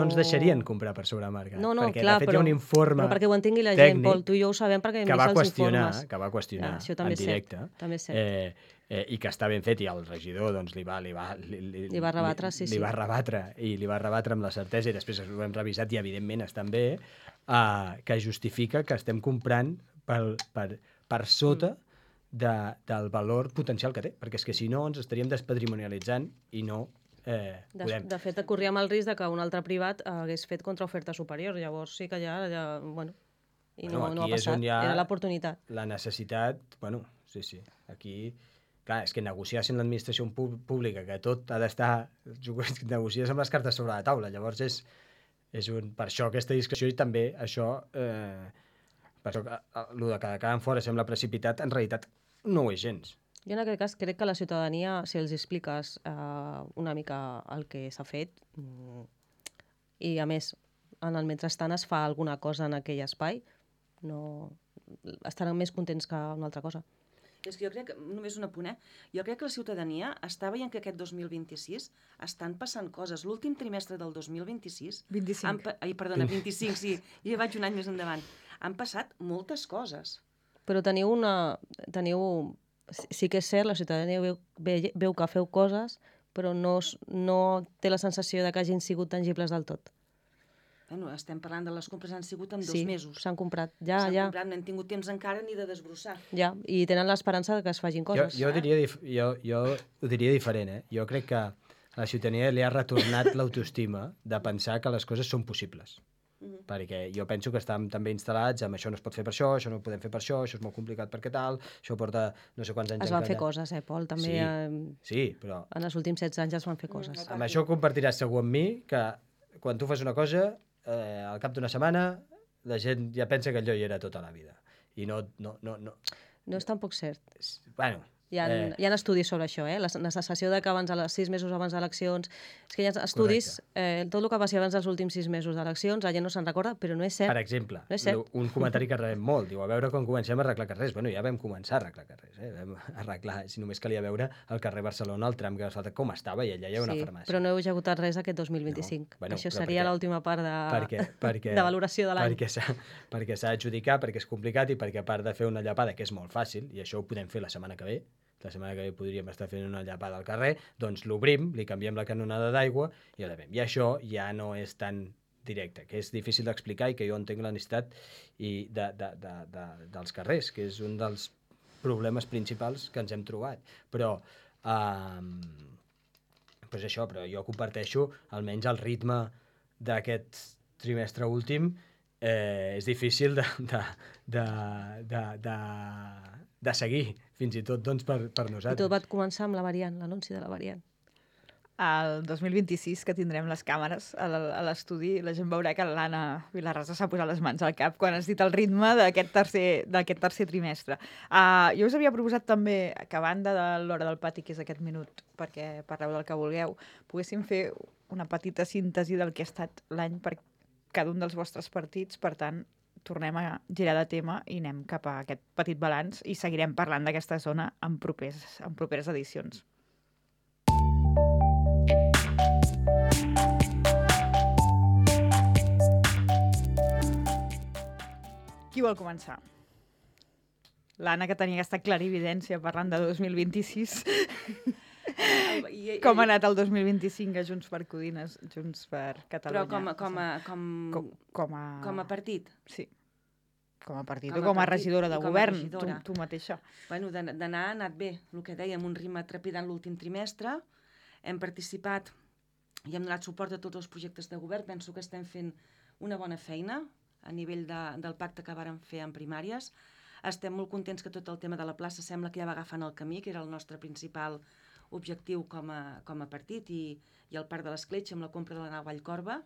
ens deixarien comprar per sobre mercat. Perquè clar, de fet hi ha un informe però perquè ho entengui la gent, Pol, tu i jo ho sabem perquè hem vist els informes. Que va qüestionar en directe. També és cert. I que està ben fet, i el regidor doncs, li va rebatre, li va rebatre amb la certesa, i després ho hem revisat i evidentment estan bé, que justifica que estem comprant per sota del valor potencial que té, perquè és que si no ens estaríem despatrimonialitzant i no podem. De fet, corríem el risc que un altre privat hagués fet contraoferta superior, llavors sí que ja bueno, i no ha passat, era l'oportunitat. La necessitat, sí, aquí... Clar, és que negociar amb l'administració pública, que tot ha d'estar... Negocies amb les cartes sobre la taula, llavors per això aquesta discussió i també això... Per això el de quedar fora sembla precipitat, en realitat no ho és gens. Jo en aquest cas crec que la ciutadania, si els expliques una mica el que s'ha fet, i a més, en el mentrestant es fa alguna cosa en aquell espai, estaran més contents que una altra cosa. És que jo crec, només un apunt, jo crec que la ciutadania està veient que aquest 2026 estan passant coses. L'últim trimestre del 2026... 25. 25, sí, jo vaig un any més endavant. Han passat moltes coses. Però sí que és cert, la ciutadania veu que feu coses, però no té la sensació de que hagin sigut tangibles del tot. Estem parlant de les compres han sigut en 2 mesos. Sí, s'han comprat, S'han comprat, no hem tingut temps encara ni de desbrossar. Ja, i tenen l'esperança que es facin coses. Jo ho diria diferent, Jo crec que a la ciutadania li ha retornat l'autoestima de pensar que les coses són possibles. Perquè jo penso que estem també instal·lats amb això no es pot fer per això no ho podem fer per això és molt complicat perquè tal, això porta no sé quants anys... Es van fer coses, Pol, també. Sí, però... En els últims 16 anys es van fer coses. Amb això compartiràs segur amb mi que quan tu fas una cosa, al cap d'una setmana, la gent ja pensa que allò hi era tota la vida. I no... No és tampoc cert. Bueno... Hi ha estudis sobre això, la sensació de que 6 mesos abans d'eleccions... És que hi ha estudis, tot el que passi abans dels últims 6 mesos d'eleccions, la gent no se'n recorda, però no és cert. Per exemple, un comentari que rebem molt, diu, a veure quan comencem a arreglar carrers. Bueno, ja vam començar a arreglar carrers, Vam arreglar, si només calia veure el carrer Barcelona, el tram que va faltar, com estava, i allà hi ha una farmàcia. Però no heu executat res aquest 2025. Això seria l'última part de valoració de l'any. Perquè s'ha d'adjudicar, perquè és complicat i perquè a part de fer una llapada, que és molt fàcil, i això ho podem fer la setmana que ve, la setmana que ve podríem estar fent una llapada al carrer, doncs l'obrim, li canviem la canonada d'aigua i la fem. I això ja no és tan directe, que és difícil d'explicar i que jo entenc la necessitat dels carrers, que és un dels problemes principals que ens hem trobat. Però pues això, però jo comparteixo almenys el ritme d'aquest trimestre últim. És difícil de seguir, fins i tot doncs, per nosaltres. I tot va començar amb la variant, l'anunci de la variant. El 2026, que tindrem les càmeres a l'estudi, la gent veurà que l'Anna Vilarrasa s'ha posat les mans al cap quan has dit el ritme d'aquest tercer trimestre. Jo us havia proposat també que, a banda de l'hora del pati, que és aquest minut, perquè parleu del que vulgueu, poguéssim fer una petita síntesi del que ha estat l'any per cada un dels vostres partits. Per tant, tornem a girar de tema i anem cap a aquest petit balanç i seguirem parlant d'aquesta zona en properes edicions. Qui vol començar? L'Anna, que tenia aquesta clarividència parlant de 2026. Com ha anat el 2025 a Junts per Codines, Junts per Catalunya? Però com a partit? Sí. Com a partit o com a regidora de govern, tu mateixa. Bueno, d'anar ha anat bé, el que dèiem, un ritme trepidant l'últim trimestre. Hem participat i hem donat suport a tots els projectes de govern. Penso que estem fent una bona feina a nivell del pacte que vàrem fer en primàries. Estem molt contents que tot el tema de la plaça sembla que ja va agafant el camí, que era el nostre principal objectiu com a partit, i el Parc de l'Escletxa amb la compra de la nau Vallcorba,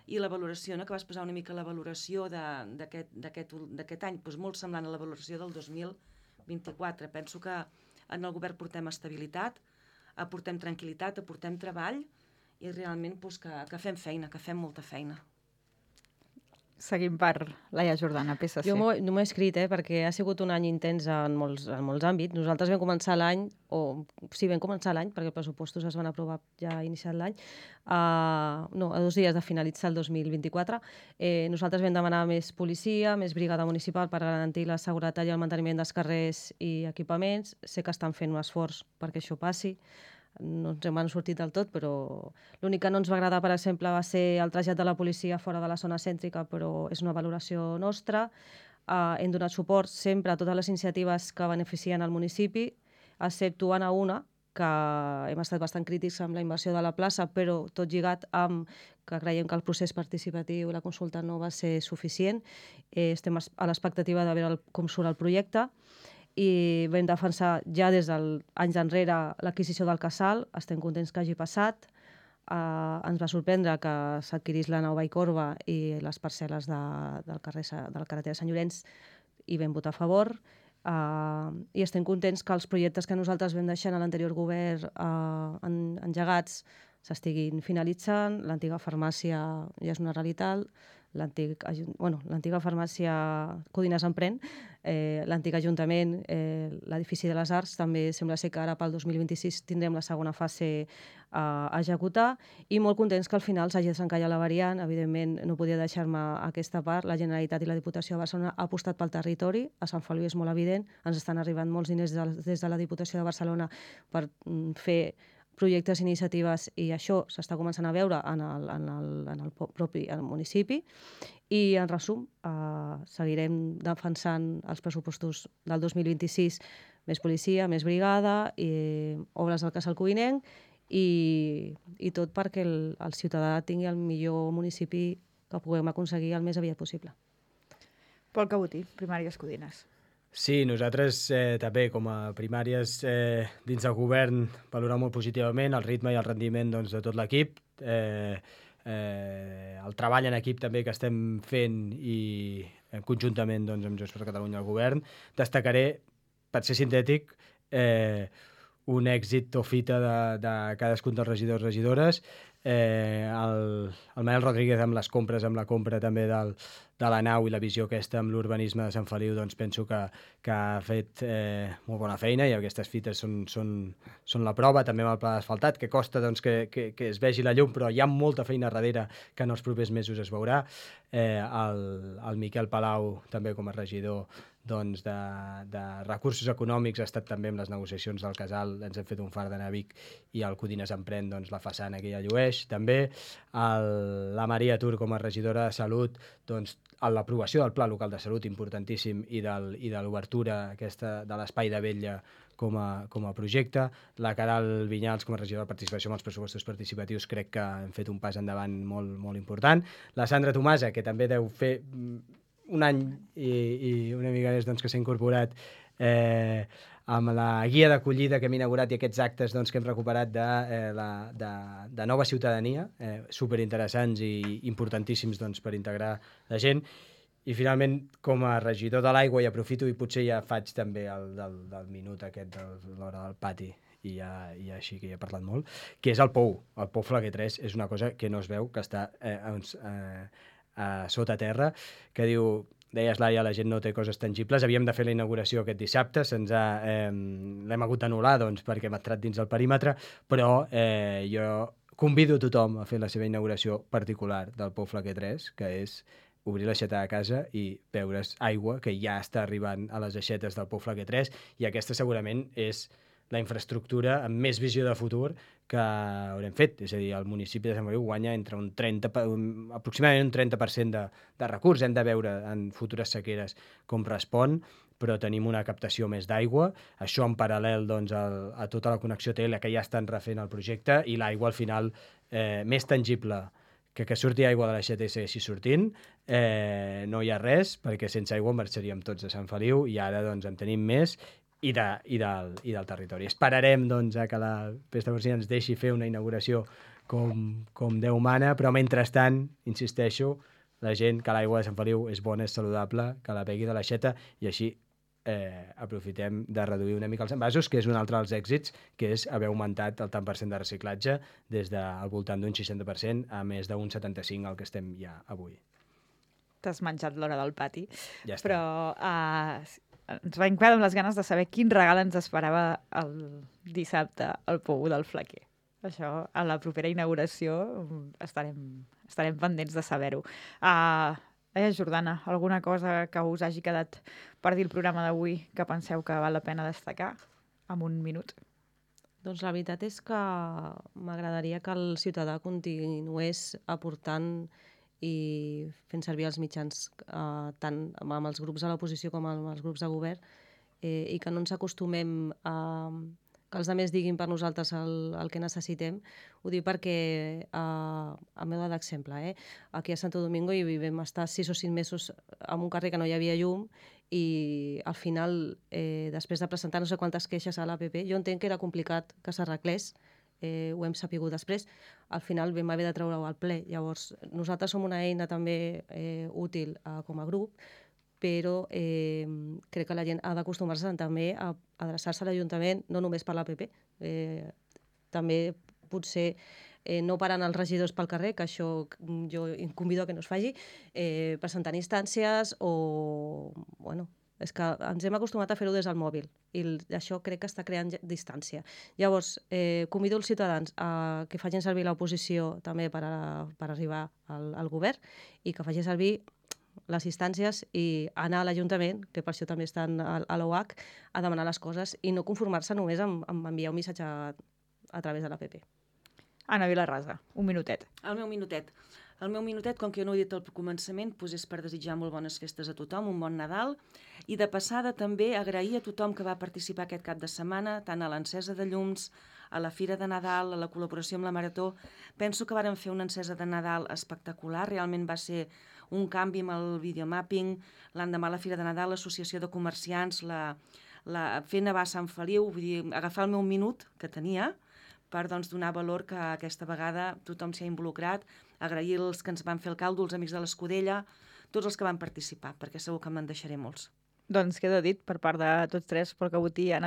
i la valoració, que vas posar una mica la valoració d'aquest any, doncs molt semblant a la valoració del 2024. Penso que en el govern portem estabilitat, aportem tranquil·litat, aportem treball, i realment que fem feina, que fem molta feina. Seguim per Laia Jordana, PSC. Jo no m'ho he escrit, perquè ha sigut un any intens en molts àmbits. Nosaltres vam començar l'any, perquè els pressupostos es van aprovar ja iniciat l'any, a 2 dies de finalitzar el 2024. Nosaltres vam demanar més policia, més brigada municipal per garantir la seguretat i el manteniment dels carrers i equipaments. Sé que estan fent un esforç perquè això passi. No ens hem sortit del tot, però l'únic que no ens va agradar, per exemple, va ser el trasllat de la policia fora de la zona cèntrica, però és una valoració nostra. Hem donat suport sempre a totes les iniciatives que beneficien el municipi, exceptuant a una, que hem estat bastant crítics amb la inversió de la plaça, però tot lligat amb que creiem que el procés participatiu i la consulta no va ser suficient. Estem a l'expectativa de veure com surt el projecte, i vam defensar ja des d'anys enrere l'adquisició del casal. Estem contents que hagi passat. Ens va sorprendre que s'adquirís la nau Vallcorba i les parcel·les de la carretera Sant Llorenç, i vam votar a favor. I estem contents que els projectes que nosaltres vam deixar en l'anterior govern engegats s'estiguin finalitzant. L'antiga farmàcia ja és una realitat. L'antiga farmàcia Codines Emprèn, l'antic ajuntament, l'edifici de les Arts, també sembla ser que ara pel 2026 tindrem la segona fase a executar, i molt contents que al final s'hagi desencallat la variant. Evidentment no podia deixar-me aquesta part. La Generalitat i la Diputació de Barcelona ha apostat pel territori. A Sant Feliu és molt evident, ens estan arribant molts diners des de la Diputació de Barcelona per fer projectes i iniciatives, i això s'està començant a veure en el propi municipi. I, en resum, seguirem defensant els pressupostos del 2026, més policia, més brigada, obres del casal codinenc, i tot perquè el ciutadà tingui el millor municipi que puguem aconseguir el més aviat possible. Pol Cabotí, Primàries Codines. Sí, nosaltres també, com a primàries dins del govern, valorem molt positivament el ritme i el rendiment de tot l'equip, el treball en equip també que estem fent i conjuntament amb Junts per Catalunya al govern. Destacaré, per ser sintètic, un èxit o fita de cadascun dels regidors i regidores. El Manel Rodríguez amb les compres, amb la compra també de la nau i la visió aquesta amb l'urbanisme de Sant Feliu, doncs penso que ha fet molt bona feina, i aquestes fites són la prova, també amb el pla d'asfaltat, que costa que es vegi la llum, però hi ha molta feina darrere que en els propers mesos es veurà. El Miquel Palau, també com a regidor doncs, de recursos econòmics, ha estat també amb les negociacions del casal, ens hem fet un far d'anar a Vic i el Codines Emprèn, doncs, la façana que ja llueix. També la Maria Tur, com a regidora de Salut, doncs, l'aprovació del Pla Local de Salut, importantíssim, i de l'obertura aquesta de l'Espai de Vetlla com a projecte. La Caral Vinyals, com a regidora de Participació amb els pressupostos participatius, crec que hem fet un pas endavant molt, molt important. La Sandra Tomasa, que també deu fer un any i una mica més, doncs, que s'ha incorporat amb la guia d'acollida que hem inaugurat i aquests actes, doncs, que hem recuperat de nova ciutadania, superinteressants i importantíssims, doncs, per integrar la gent. I finalment, com a regidor de l'aigua, i aprofito i potser ja faig també del minut aquest de l'hora del pati, i ja així que ja he parlat molt, que és el Pou. El Pou Flaquer 3 és una cosa que no es veu, que està sota terra, que diu, deies, Laia, la gent no té coses tangibles. Havíem de fer la inauguració aquest dissabte, l'hem hagut d'anul·lar, doncs, perquè hem entrat dins del perímetre, però jo convido tothom a fer la seva inauguració particular del Pou Flaquer 3, que és obrir l'aixeta de casa i beure's aigua, que ja està arribant a les aixetes del Pou Flaquer 3, i aquesta segurament és la infraestructura amb més visió de futur que haurem fet. És a dir, el municipi de Sant Feliu guanya entre aproximadament un 30% de recurs. Hem de veure en futures sequeres com respon, però tenim una captació més d'aigua. Això en paral·lel, doncs, a tota la connexió TL que ja estan refent el projecte, i l'aigua al final més tangible que surti aigua de l'aixeta i segueixi sortint. No hi ha res, perquè sense aigua marxaríem tots a Sant Feliu, i ara, doncs, en tenim més i del territori. Esperarem, doncs, a que la Pesta Porcina ens deixi fer una inauguració com Déu mana, però mentrestant, insisteixo, la gent, que l'aigua de Sant Feliu és bona, és saludable, que la begui de l'aixeta, i així aprofitem de reduir una mica els envasos, que és un altre dels èxits, que és haver augmentat el tant per cent de reciclatge des del voltant d'un 60% a més d'un 75% al que estem ja avui. T'has menjat l'hora del pati. Ja està. Però ens vam quedar amb les ganes de saber quin regal ens esperava el dissabte al Pou del Flaquer. Això, a la propera inauguració, estarem pendents de saber-ho. Jordana, alguna cosa que us hagi quedat per dir el programa d'avui que penseu que val la pena destacar en un minut? Doncs la veritat és que m'agradaria que el ciutadà continués aportant i fent servir els mitjans tant amb els grups de l'oposició com amb els grups de govern, i que no ens acostumem a que els altres diguin per nosaltres el que necessitem. Ho dic perquè, a meva d'exemple, aquí a Santo Domingo hi vam estar 6 o 5 mesos en un carrer que no hi havia llum, i al final, després de presentar no sé quantes queixes a l'APP, jo entenc que era complicat que s'arreglés, ho hem sapigut després, al final vam haver de treure-ho al ple. Llavors, nosaltres som una eina també útil com a grup, però crec que la gent ha d'acostumar-se també a adreçar-se a l'Ajuntament, no només per l'APP, també potser no parant els regidors pel carrer, que això jo convido a que no es faci, presentant instàncies o... Bueno, és que ens hem acostumat a fer-ho des del mòbil i això crec que està creant distància. Llavors, convido els ciutadans a que facin servir l'oposició també per arribar al govern i que facin servir les instàncies i anar a l'Ajuntament, que per això també estan a l'OH, a demanar les coses i no conformar-se només amb enviar un missatge a través de l'APP. Anna Vilarrasa, un minutet. El meu minutet, com que jo no ho he dit al començament, doncs és per desitjar molt bones festes a tothom, un bon Nadal, i de passada també agrair a tothom que va participar aquest cap de setmana, tant a l'encesa de llums, a la Fira de Nadal, a la col·laboració amb la Marató. Penso que vàrem fer una encesa de Nadal espectacular, realment va ser un canvi amb el videomapping, l'endemà a la Fira de Nadal, l'associació de comerciants, fer nevar a Sant Feliu, vull dir, agafar el meu minut que tenia per donar valor que aquesta vegada tothom s'hi ha involucrat, agrair els que ens van fer el caldo, els amics de l'Escudella, tots els que van participar, perquè segur que me'n deixaré molts. Doncs queda dit per part de tots tres pel que voti Anna